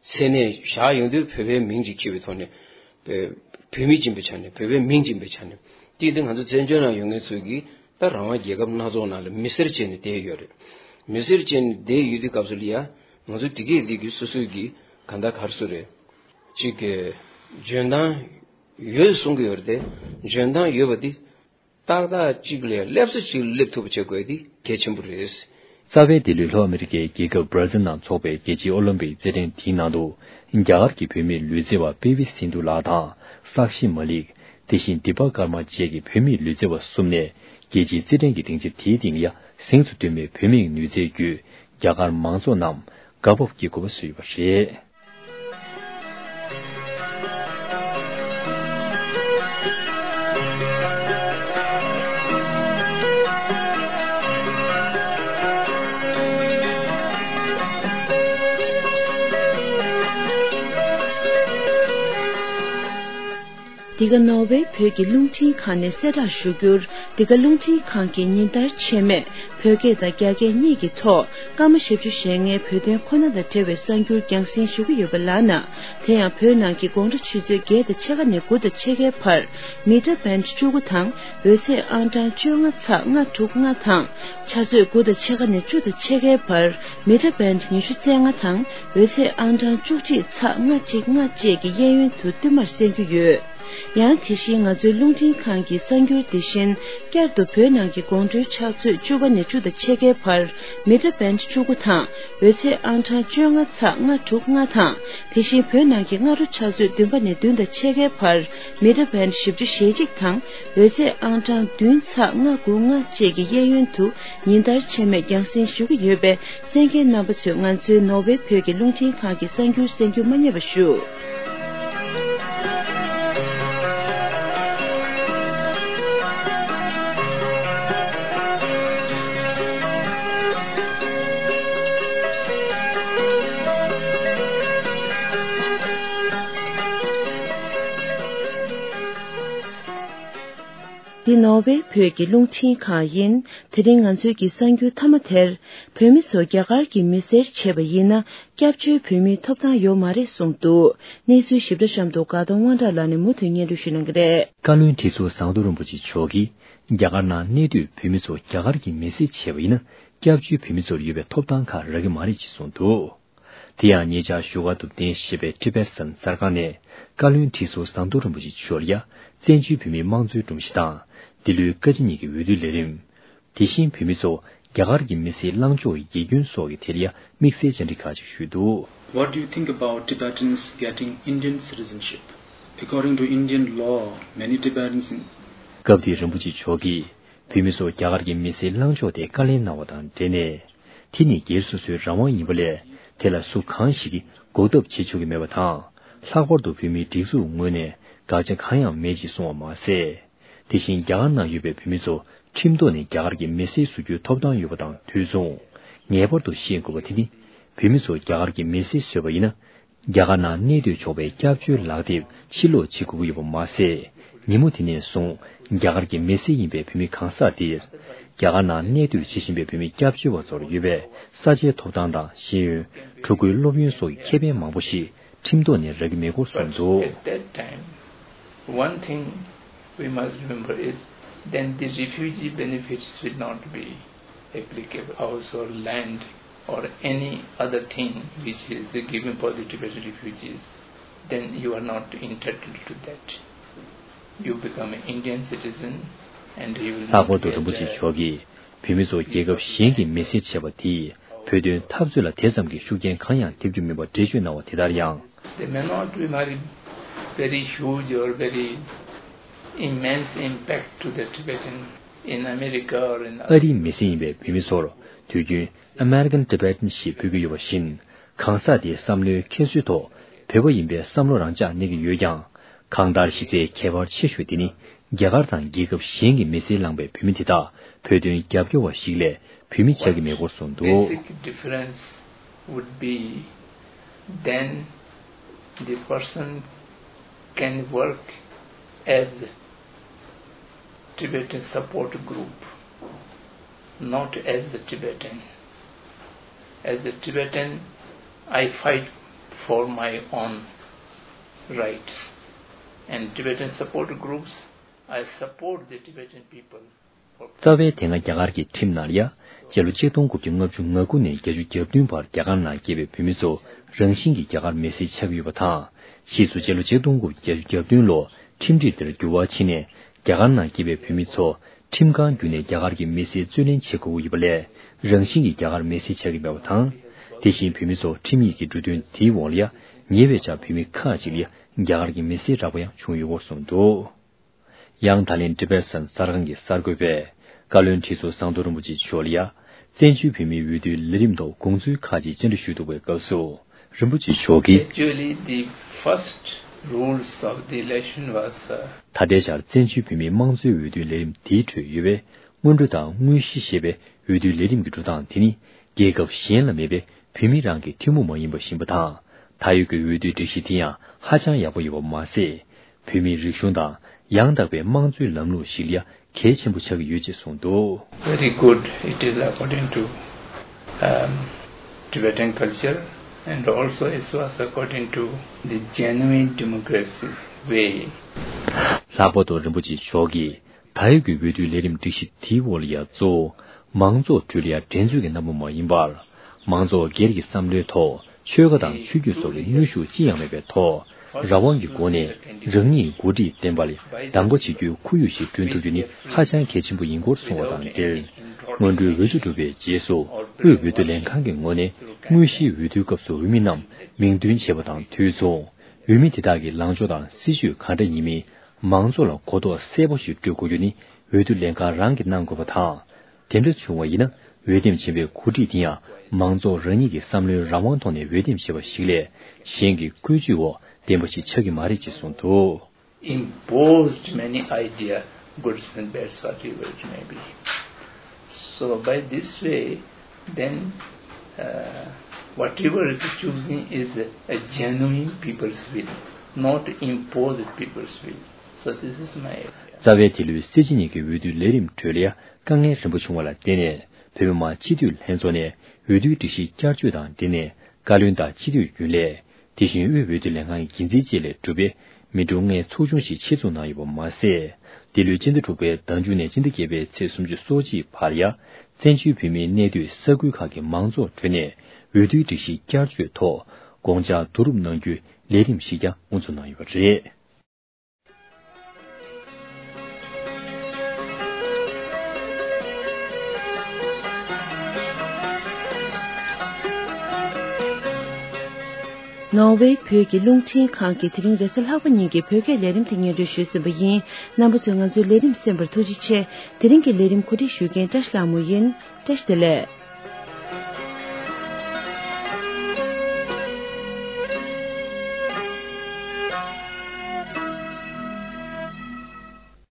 མཚན་གནས་བཞག་ཡོང་དུས་བོད་པའི་མིང་ཅིག་འཁྱེར་བའི་ཐོག་ནས། བོད་བོད་མི་ཡིན་པའི་ཆ་ནས། བོད་པའི་མིང་ཡིན་པའི་ཆ་ནས། དེ་དེ་ང་ཚོ་བཙན་བྱོལ་ནང་ཡོད་མཁན་ཚོས་ཀྱིས་ད་རང་དབང་རྒྱལ་ཁབ་སྣ་ཚོགས་ནང་ལ་མི་སེར་བྱས་ནས་བསྡད་ཡོད་རེད། མི་སེར་བྱས་ནས་བསྡད་ཡོད་དུས་སྐབས་སུ་ལ་ཡ། ང་ཚོ་དེ་གས་དེ་གི་སོ་སོའི་གི་གང་ལྟར་ག་རེ་ཟེར་རེད། ཅིག་གི་འཇོན་ཐང་ཡོད་གསུང་གི་ཡོད་རེད་དེ། འཇོན་ཐང་ཡོད་པ་དེ་ཏག་ཏག་ཅིག་ལ་སླེབས་ས་ཅིག་སླེབས་ཐུབ་པ་བྱེད་དགོས་དེ་གལ་ཆེན་པོ་རེད། རྩ་བའི་འདི་ལོའི་ལྷོ་ཨ་མི་རི་ཀའི་རྒྱལ་ཁབ་བྷར་ཛིལ་ནང་འཚོགས་པའི་རྒྱལ་སྤྱིའི་ཨོ་ལིམ་པིག་རྩེད་འགྲན་དེའི་ནང་དུ། རྒྱ་གར་གྱི་བུད་མེད་ལུས་རྩལ་བ་པེ་བི་སིན་དྷུ་ལགས་དང་། སག་ཤི་མ་ལིག་དེ་བཞིན་དི་པ་ཀར་མ་བཅས་ཀྱི་བུད་མེད་ལུས་རྩལ་བ་གསུམ་ནས་རྒྱལ་སྤྱིའི་རྩེད་འགྲན་གྱི་སྡིངས་ཆ་དེའི་སྟེང་ཡ་གཟེངས་སུ་ཐོན་པའི་བུད་མེད་ནུས་རྩལ་བརྒྱུད། རྒྱ་གར་མང་ཚོགས་རྣམས་དགའ་སྤོབས་ཀྱི་གོ་བ་བཟོས་ཡོད་པ་རེད། འདི་ག་ནོར་ཝེ་བོད་ཀྱི་རླུང་འཕྲིན་ཁང་ནས་གསལ་བསྒྲགས་ཞུ་རྒྱུར། འདི་ག་རླུང་འཕྲིན་ཁང་གིས་ཉིན་ལྟར་ཆད་མེད་བོད་སྐད་དང་རྒྱ་སྐད་གཉིས་ཀྱི་ཐོག་སྐར་མ་ཞེ་བཅུ་ཞེ་ལྔའི་བོད་དོན་ཁོ་ན་དང་འབྲེལ་བའི་གསར་འགྱུར་རྒྱང་སྲིང་ཞུ་གི་ཡོད་པ་ལགས་ན། དེ་ཡང་བོད་ནང་གི་དགོང་དྲོ་ཆུ་ཚོད་བརྒྱད་དང་ཕྱེད་ཀ་ནས་དགུ་དང་ཕྱེད་ཀའི་བར། མི་ཊར་བྷེནཌ་བཅུ་དགུ་དང་འོད་ཚད་ཨང་གྲངས་བཅོ་ལྔ་ཚེག་ལྔ་དྲུག་ལྔ་དང་། ཆུ་ཚོད་དགུ་དང་ཕྱེད་ཀ་ནས་བཅུ་དང་ཕྱེད་ཀའི་བར། མི་ཊར་བྷེནཌ་ཉི་ཤུ་རྩ་ལྔ་དང་འོད་ཚད་ཨང་གྲངས་བཅུ་གཅིག་ཚེག་ལྔ་གཅིག་ལྔ་བཅས་ཀྱི་གཡས་གཡོན་དུ་བསྟུད་མར་གསན་རྒྱུ་ཡོད། ཡང་དེ་བཞིན་ང་ཚོའི་རླུང་འཕྲིན་ཁང་གི་གསར་འགྱུར་དེ་བཞིན་བསྐྱར་དུ་བོད་ནང་གི་དགོང་དྲོའི་ཕྱག་ཚོད་བཅུ་པ་ནས་བཅུ་དང་ཕྱེད་ཀའི་བར། མི་ཊར་བྷེནཌ་བཅུ་དགུ་དང་འོད་ཚད་ཨང་གྲངས་བཅོ་ལྔ་ཚེག་ལྔ་དྲུག་ལྔ་དང་། དེ་བཞིན་བོད་ནང་གི་སྔ་དྲོ་ཕྱག་ཚོད་བདུན་པ་ནས་བདུན་དང་ཕྱེད་ཀའི་བར། མི་ཊར་བྷེནཌ་བཞི་བཅུ་ཞེ་གཅིག་དང་འོད་ཚད་ཨང་གྲངས་བདུན་ཚེག་ལྔ་དགུ་ལྔ་བཅས་ཀྱི་གཡས་གཡོན་དུ་ཉིན་ལྟར་ཆད་མེད་རྒྱང་སྲིང་ཞུ་གི་ཡོད་པས། གསན་མཁན་རྣམ་པ་ཚོས་ང་ཚོའི་ནོར་ཝེ་བོད་ཀྱི་རླུང་འཕྲིན་ཁང་གི་གསར་འགྱུར་གསན་རྒྱུ་མ་བསྙེལ་བ་ཞུ། འདི་ནོར་ཝེ་བོད་ཀྱི་རླུང་འཕྲིན་ཁང་ཡིན། དེ་རིང་ང་ཚོའི་གི་གསར་འགྱུར་མཐའ་མ་དེར། བོད་མི་ཚོ་རྒྱ་གར་གྱི་མི་སེར་བྱས་པ་ཡིན་ན། སྐྱབས་བཅོལ་བོད་མིའི་ཐོབ་ཐང་ཡོད་མ་རེད་གསུངས་འདུག་གནས་ཚུལ་ཞིབ་ཕྲ་གཤམ་དུ་དགའ་གདོང་དབང་གྲགས་ལགས་ནས་མུ་མཐུད་སྙན་སྒྲོན་ཞུ་གནང་གི་རེད། བཀའ་བློན་ཁྲི་ཟུར་ཟམ་གདོང་རིན་པོ་ཆེ་མཆོག་གིས། རྒྱ་གར་ནང་གནས་སྡོད་བོད་མི་ཚོ་རྒྱ་གར་གྱི་མི་སེར་བྱས་པ་ཡིན་ན། སྐྱབས་བཅོལ་བོད་མི་ཚོར་ཡོད་པའི་ཐོབ་ཐང་ཁག་རག་གི་མ་རེད་ཅེས་གསུངས་འདུག་དེ་ཡང་ཉེ་ཆར་བཞུགས་སྒར་དུ་གདན་ཞུས་པའི་ཊི་བེ་ཊན་གསར་ཁང་ནས་བཀའ་བློན་ཁྲི་ཟུར་ཟམ་གདོང་རིན་པོ་ཆེ་མཆོག་ལ་ཡ་བཙན་བྱོལ་བོད་མིའི་དམངས་གཙོའི་སྒྲོམ་གཞི་དང་། འདི་ལོའི་བཀའ་སྤྱི་གཉིས་ཀྱི་འོས་བསྡུའི་ལས་རིམ། དེ་བཞིན་བོད་མི་ཚོ་རྒྱ་གར་གྱི་མི་སེར་བླངས་ཕྱོགས་ཀྱི་དགེ་སྐྱོན་སོགས་ཀྱི་ཐད་ལ་ཡ་དམིགས་བསལ་བཅར་འདྲི་ཁག་ཅིག་ཞུས་འདུག What do you think about Tibetans getting Indian citizenship? According to Indian law, many Tibetans in སྐབས་དེར་རིན་པོ་ཆེ་མཆོག་གིས་བོད་མི་ཚོ་རྒྱ་གར་གྱི་མི་སེར་བླངས་ཕྱོགས་ཐད་བཀའ་ལན་གནང་བ་དང་འབྲེལ་ནས། དེ་ནི་སྒེར་སོ་སོའི་རང་དབང་ཡིན་པ་ལས། དེ་ལ་སུ་གང་ཞིག་གིས་འགོག་ཐབས་བྱེད་ཆོག་གི་མེད་པ་དང་། ལྷག་པར་དུ་བོད་མིའི་སྒྲིག་འཛུགས་ངོས་ནས་དགག་བྱ་གང་ཡང་མེད་ཅེས་གསུངས་པ་མ་ཟད། དེ་བཞིན་རྒྱ་གར་ནང་ཡོད་པའི་བོད་མི་ཚོ་ཁྲིམས་ཐོག་ནས་རྒྱ་གར་གྱི་མི་སེར་བཟོ་རྒྱུའི་ཐོབ་ཐང་ཡོད་པ་དང་དུས་མཚུངས། ངེས་པར་དུ་ཤེས་དགོས་པ་དེ་ནི། བོད་མི་ཚོ་རྒྱ་གར་གྱི་མི་སེར་བཟོས་པ་ཡིན་ན། རྒྱ་གར་ནང་གནས་སྡོད་ཆོག་པའི་སྐྱབས་བཅོལ་ལག་དེབ་ཕྱིར་སློག་བྱེད་དགོས་ཀྱི་ཡོད་པ་མ་ཟད། ཉིན་མོ་དེ་ནས་བཟུང་རྒྱ་གར་གྱི་མི་སེར་ཡིན་པའི་བོད་མི་གང་ཟག་དེར། རྒྱ་གར་ནང་གནས་སྡོད་བྱེད་བཞིན་པའི་བོད་མི་སྐྱབས་བཅོལ་བ་ཚོར་ཡོད་པའི་ས་ཆའི་ཐོབ་ཐང་དང་ཤེས་ཡོན། ཕྲུ་གུའི་སློབ་ཡོན་སོགས་ཀྱི་ཁེ་ཕན་མང་པོ་ཞིག་ཁྲིམས་ཐོག་ནས་རག་གི་མེད་སྐོར་གསུངས་འདུག། At that time, one thing we must remember is then the refugee benefits will not be applicable. House or land or any other thing which is given for the Tibetan refugees, then you are not entitled to that. You become an Indian citizen and you will ལྷག་པར་དུ་རིན་པོ་ཆེ་མཆོག་གིས་བོད་མི་ཚོ་རྒྱལ་ཁབ་གཞན་གྱི་མི་སེར་བྱས་པ་དེས་བོད་དོན་འཐབ་རྩོད་ལ་དེ་ཙམ་གྱི་ཤུགས་རྐྱེན་གང་ཡང་ཐེབས་རྒྱུ་མིན་པར་འགྲེལ་བརྗོད་གནང་བ་དེ་ལྟར་ཡང་། They may not be very, very huge or very immense impact to the Tibetan in America or in ཨ་རིའི་མི་སེར་ཡིན་པའི་བོད་མི་ཚོར་དུས་རྒྱུན་American Tibetan ཞེས་འབོད་ཀྱི་ཡོད་པ་བཞིན། གང་ཟག་དེའི་བསམ་བློའི་ཁྱད་གསོད་ཐོག་བོད་པ་ཡིན་པའི་བསམ་བློ་རང་འཇགས་གནས་ཀྱི་ཡོད་ཀྱང་། གང་ལྟར་གཞི་རྩའི་ཁྱད་པར་ཆེ་ཤོས་དེ་ནི། རྒྱ་གར་དང་རྒྱལ་ཁབ་གཞན་གྱི་མི་སེར་ལངས་པའི་བོད་མི་དེ་དག་བོད་དོན་རྒྱབ་སྐྱོར་བ་ཞིག་ལས་བོད་མི་ཆགས་ཀྱི་མེད་སྐོར་གསུངས་འདུག། Basic difference would be then the person can work as Tibetan support group, not as a Tibetan. As a Tibetan, I fight for my own rights. And Tibetan support groups, I support the Tibetan people. རྩ་བའི་དེ་སྔ་རྒྱ་གར་གྱི་ཁྲིམས་ནང་ལ་ཡ། སྤྱི་ལོ་ཆིག་སྟོང་དགུ་བརྒྱ་ལྔ་བཅུ་ང་དགུ་ནས་བརྒྱད་ཅུ་གྱ་བདུན་བར་རྒྱ་གར་ནང་སྐྱེས་པའི་བོད་མི་ཚོ་རང་བཞིན་གྱིས་རྒྱ་གར་མི་སེར་ཆགས་ཀྱི་ཡོད་པ་དང་། ཕྱིས་སུ་སྤྱི་ལོ་ཆིག་སྟོང་དགུ་བརྒྱ་བརྒྱད་ཅུ་གྱ་བདུན་ལོར་ཁྲིམས་སྒྲིག་དེར་འགྱུར་བ་ཕྱིན་ནས། རྒྱ་གར་ནང་སྐྱེས་པའི་བོད་མི་ཚོ་ཁྲིམས་ཁང་བརྒྱུད་ནས་རྒྱ་གར་གྱི་མི་སེར་རྩོད་ལེན་བྱེད་དགོས་ཀྱི་ཡོད་པ་ལས། རང་བཞིན་གྱིས་རྒྱ་གར་མི་སེར་ཆགས་ཀྱི་མེད་པ་དང་། དེ་བཞིན་བོད་མི་ཚོ་ཁྲིམས་ཡིག་གི་འབྲུ་དོན་དེའི་འོག་ལ་ཡ། ཉེ་བའི་ཆར་བོད་མི་ཁག་ཅིག་ལ་ཡ། རྒྱ་གར་གྱི་མི་སེར་རག་པ་ཡང་བྱུང་ཡོད་སྐོར་གསུངས་འདུག། ཡང་ད་ལན་Tibetan གསར་ཁང་གི་གསར་འགོད་པས། བཀའ་བློན་ཁྲི་ཟུར་ཟམ་གདོང་རིན་པོ་ཆེ་མཆོག་ལ་ཡ། བཙན་བྱོལ་བོད་མིའི་འོས་བསྡུའི་ལས་རིམ་ཐོག་དགོངས་ཚུལ་ཁག་ཅིག་བཅར་འདྲི་ཞུས་འདུག་པའི་སྐབས་སུ། རིན་པོ་ཆེ་མཆོག་གིས། Actually, the first rules of the election was, uh, ད་ལྟའི་ཆར་བཙན་བྱོལ་བོད་མིའི་དམངས་གཙོའི་འོས་བསྡུའི་ལས་རིམ་དེའི་ཁྲོད་ཡོད་པའི། སྔོན་འགྲོ་དང་དངོས་གཞི་ཞེས་པའི་འོས་བསྡུའི་ལས་རིམ་གྱི་འགྲོ་སྟངས་དེ་ནི། རྒྱལ་ཁབ་གཞན་ལ་མེད་པའི་བོད་མི་རང་གི་ཐུན་མོང་མ་ཡིན་པ་ཞིག་ཡིན་པ་དང་། ད་ཡོད་ཀྱི་འོས་བསྡུའི་སྒྲིག་གཞི་དེ་ཡང་ཧ་ཅང་ཡག་པོ་ཡོད་པ་མ་ཟད། བོད་མིའི་རིག་གཞུང་དང་ཡང་དག་པའི་དམངས་གཙོའི་ལམ་ལུགས་ཤིག་ལ་ཡང་གལ་ཆེན་པོ་ཆགས་ཀྱི་ཡོད་ཅེས་གསུངས་འདུག། Very good. It is according to, um, Tibetan culture and also it was according to the genuine democracy way. ལྷག་པར་དུ་རིན་པོ་ཆེ་མཆོག་གིས། ད་ཡོད་ཀྱི་འོས་བསྡུའི་ལས་རིམ་སྒྲིག་གཞི་དེའི་འོག་ལ་ཡང་གཙོ་བོ་མང་ཚོགས་ཁྲོད་ལ་ཡང་འགྲན་རྩོད་ཀྱི་རྣམ་པ་མ་ཡིན་པར། མང་ཚོགས་སྒེར་གྱི་བསམ་བློའི་ཐོག་ཆོལ་ཁ་དང་ཆོས་བརྒྱུད་སོགས་ཀྱི་དངོས་ཤུགས་ཅི་ཡང་མེད་པའི་ཐོག་རང་དབང་གི་སྒོ་ནས་རང་ཉིད་འགོ་ཁྲིད་བསྟེན་པ་ལ་གདམ་ག་བྱེད་རྒྱུའི་ཁོར་ཡུག་ཞིག་བསྐྲུན་ཐུབ་རྒྱུ་ནི་ཧ་ཅང་གལ་ཆེན་པོ་ཡིན་སྐོར་གསུངས་པ་དང་འབྲེལ། སྔོན་འགྲོའི་འོས་བསྡུ་གྲུབ་པའི་རྗེས་སུ་དབུས་འོས་བསྡུ་ལྷན་ཁང་གི་ངོས་ནས་དངོས་གཞིའི་འོས་བསྡུའི་སྐབས་སུ་འོས་མི་རྣམས་མིང་འདོན་བྱས་པ་དང་དུས་མཚུངས། འོས་མི་དེ་དག་གི་ལངས་ཕྱོགས་དང་སྲིད་བྱུས་ག་འདྲ་ཡིན་མིན། མང་ཚོགས་ལ་གོ་རྟོགས་གསལ་པོ་ཞིག་སྤྲོད་དགོས་རྒྱུ་ནི་འོས་བསྡུ་ལས་ཁང་རང་གིས་གནང་དགོས་པ་དང་། དེ་འདྲ་བྱུང་བ་ཡིན་ན་འོས་འདེམས་བྱས་པའི་འགོ་ཁྲིད་དེ་ཡང་མང་ཚོགས་རང་ཉིད་ཀྱི་བསམ་བློའི་རང་དབང་ཐོག་ནས་འོས་འདེམས་བྱས་པ་ཞིག་ལས་གཞན་གྱི་བཀོད་ཇུས་འོག་འདེམས་པ་ཞིག་ཆགས་ཀྱི་མ་རེད་ཅེས་གསུངས་འདུག། Imposed many idea, goods and bads, whatever it may be. So by this way, then, uh, whatever is choosing is a genuine people's will, not imposed people's will. So this is my idea. རྩ་བའི་དེ་ལོའི་སྲིད་སྤྱི་གཉིས་ཀྱི་འོས་བསྡུའི་ལས་རིམ་ཁྲོད་ལ་དཀའ་ངལ་རིམ་པ་བྱུང་བ་ལ་བརྟེན་ནས་བོད་མི་མང་སྤྱི་འཐུས་ལྷན་ཚོགས་ནས་འོས་བསྡུའི་སྒྲིག་གཞི་བསྐྱར་བཅོས་དང་འབྲེལ་ནས་བཀའ་བློན་དང་སྤྱི་འཐུས་རྒྱུན་ལས། དེ་བཞིན་དབུས་འོས་བསྡུ་ལས་ཁང་གི་འགན་འཛིན་བཅས་ལས་གྲུབ་པའི་མི་གྲངས་ལྔའི་ཚོགས་ཆུང་ཞིག་ཆེད་འཛུགས་གནང་ཡོད་པ་མ་ཟད། འདི་ལོའི་སྤྱི་ཟླ་དྲུག་པའི་ཟླ་མཇུག་ནས་སྤྱི་ཟླ་བརྒྱད་པའི་ཚེས་སུམ་ཅུ་སོ་གཅིག་བར་ཡ། བཙན་བྱོལ་བོད་མིའི་གནས་སྡོད་ས་ཁུལ་ཁག་གི་མང་ཚོགས་ཁྲོད་ནས་འོས་བསྡུའི་སྒྲིག་གཞི་བསྐྱར་བཅོས་ཐོག་དགོངས་འཆར་བསྡུ་རུབ་གནང་རྒྱུའི་ལས་རིམ་ཞིག་ཀྱང་དབུ་འཛུགས་གནང་ཡོད་པ་རེད། ནོར་ཝེ་བོད་ཀྱི་རླུང་འཕྲིན་ཁང་གིས་དེ་རིང་རེས་གཟའ་ལྷག་པ་ཉིན་གྱི་བོད་སྐད་ལས་རིམ་དེ་སྙན་སྒྲོན་ཞུས་ཟིན་པ་ཡིན། རྣམ་པ་ཚོས་ང་ཚོའི་ལས་རིམ་གསན་པར་ཐུགས་རྗེ་ཆེ། དེ་རིང་གི་ལས་རིམ་གོ་སྒྲིག་ཞུ་མཁན་བཀྲ་ཤིས་ལྷ་མོ་ཡིན། བཀྲ་ཤིས་བདེ་ལེགས།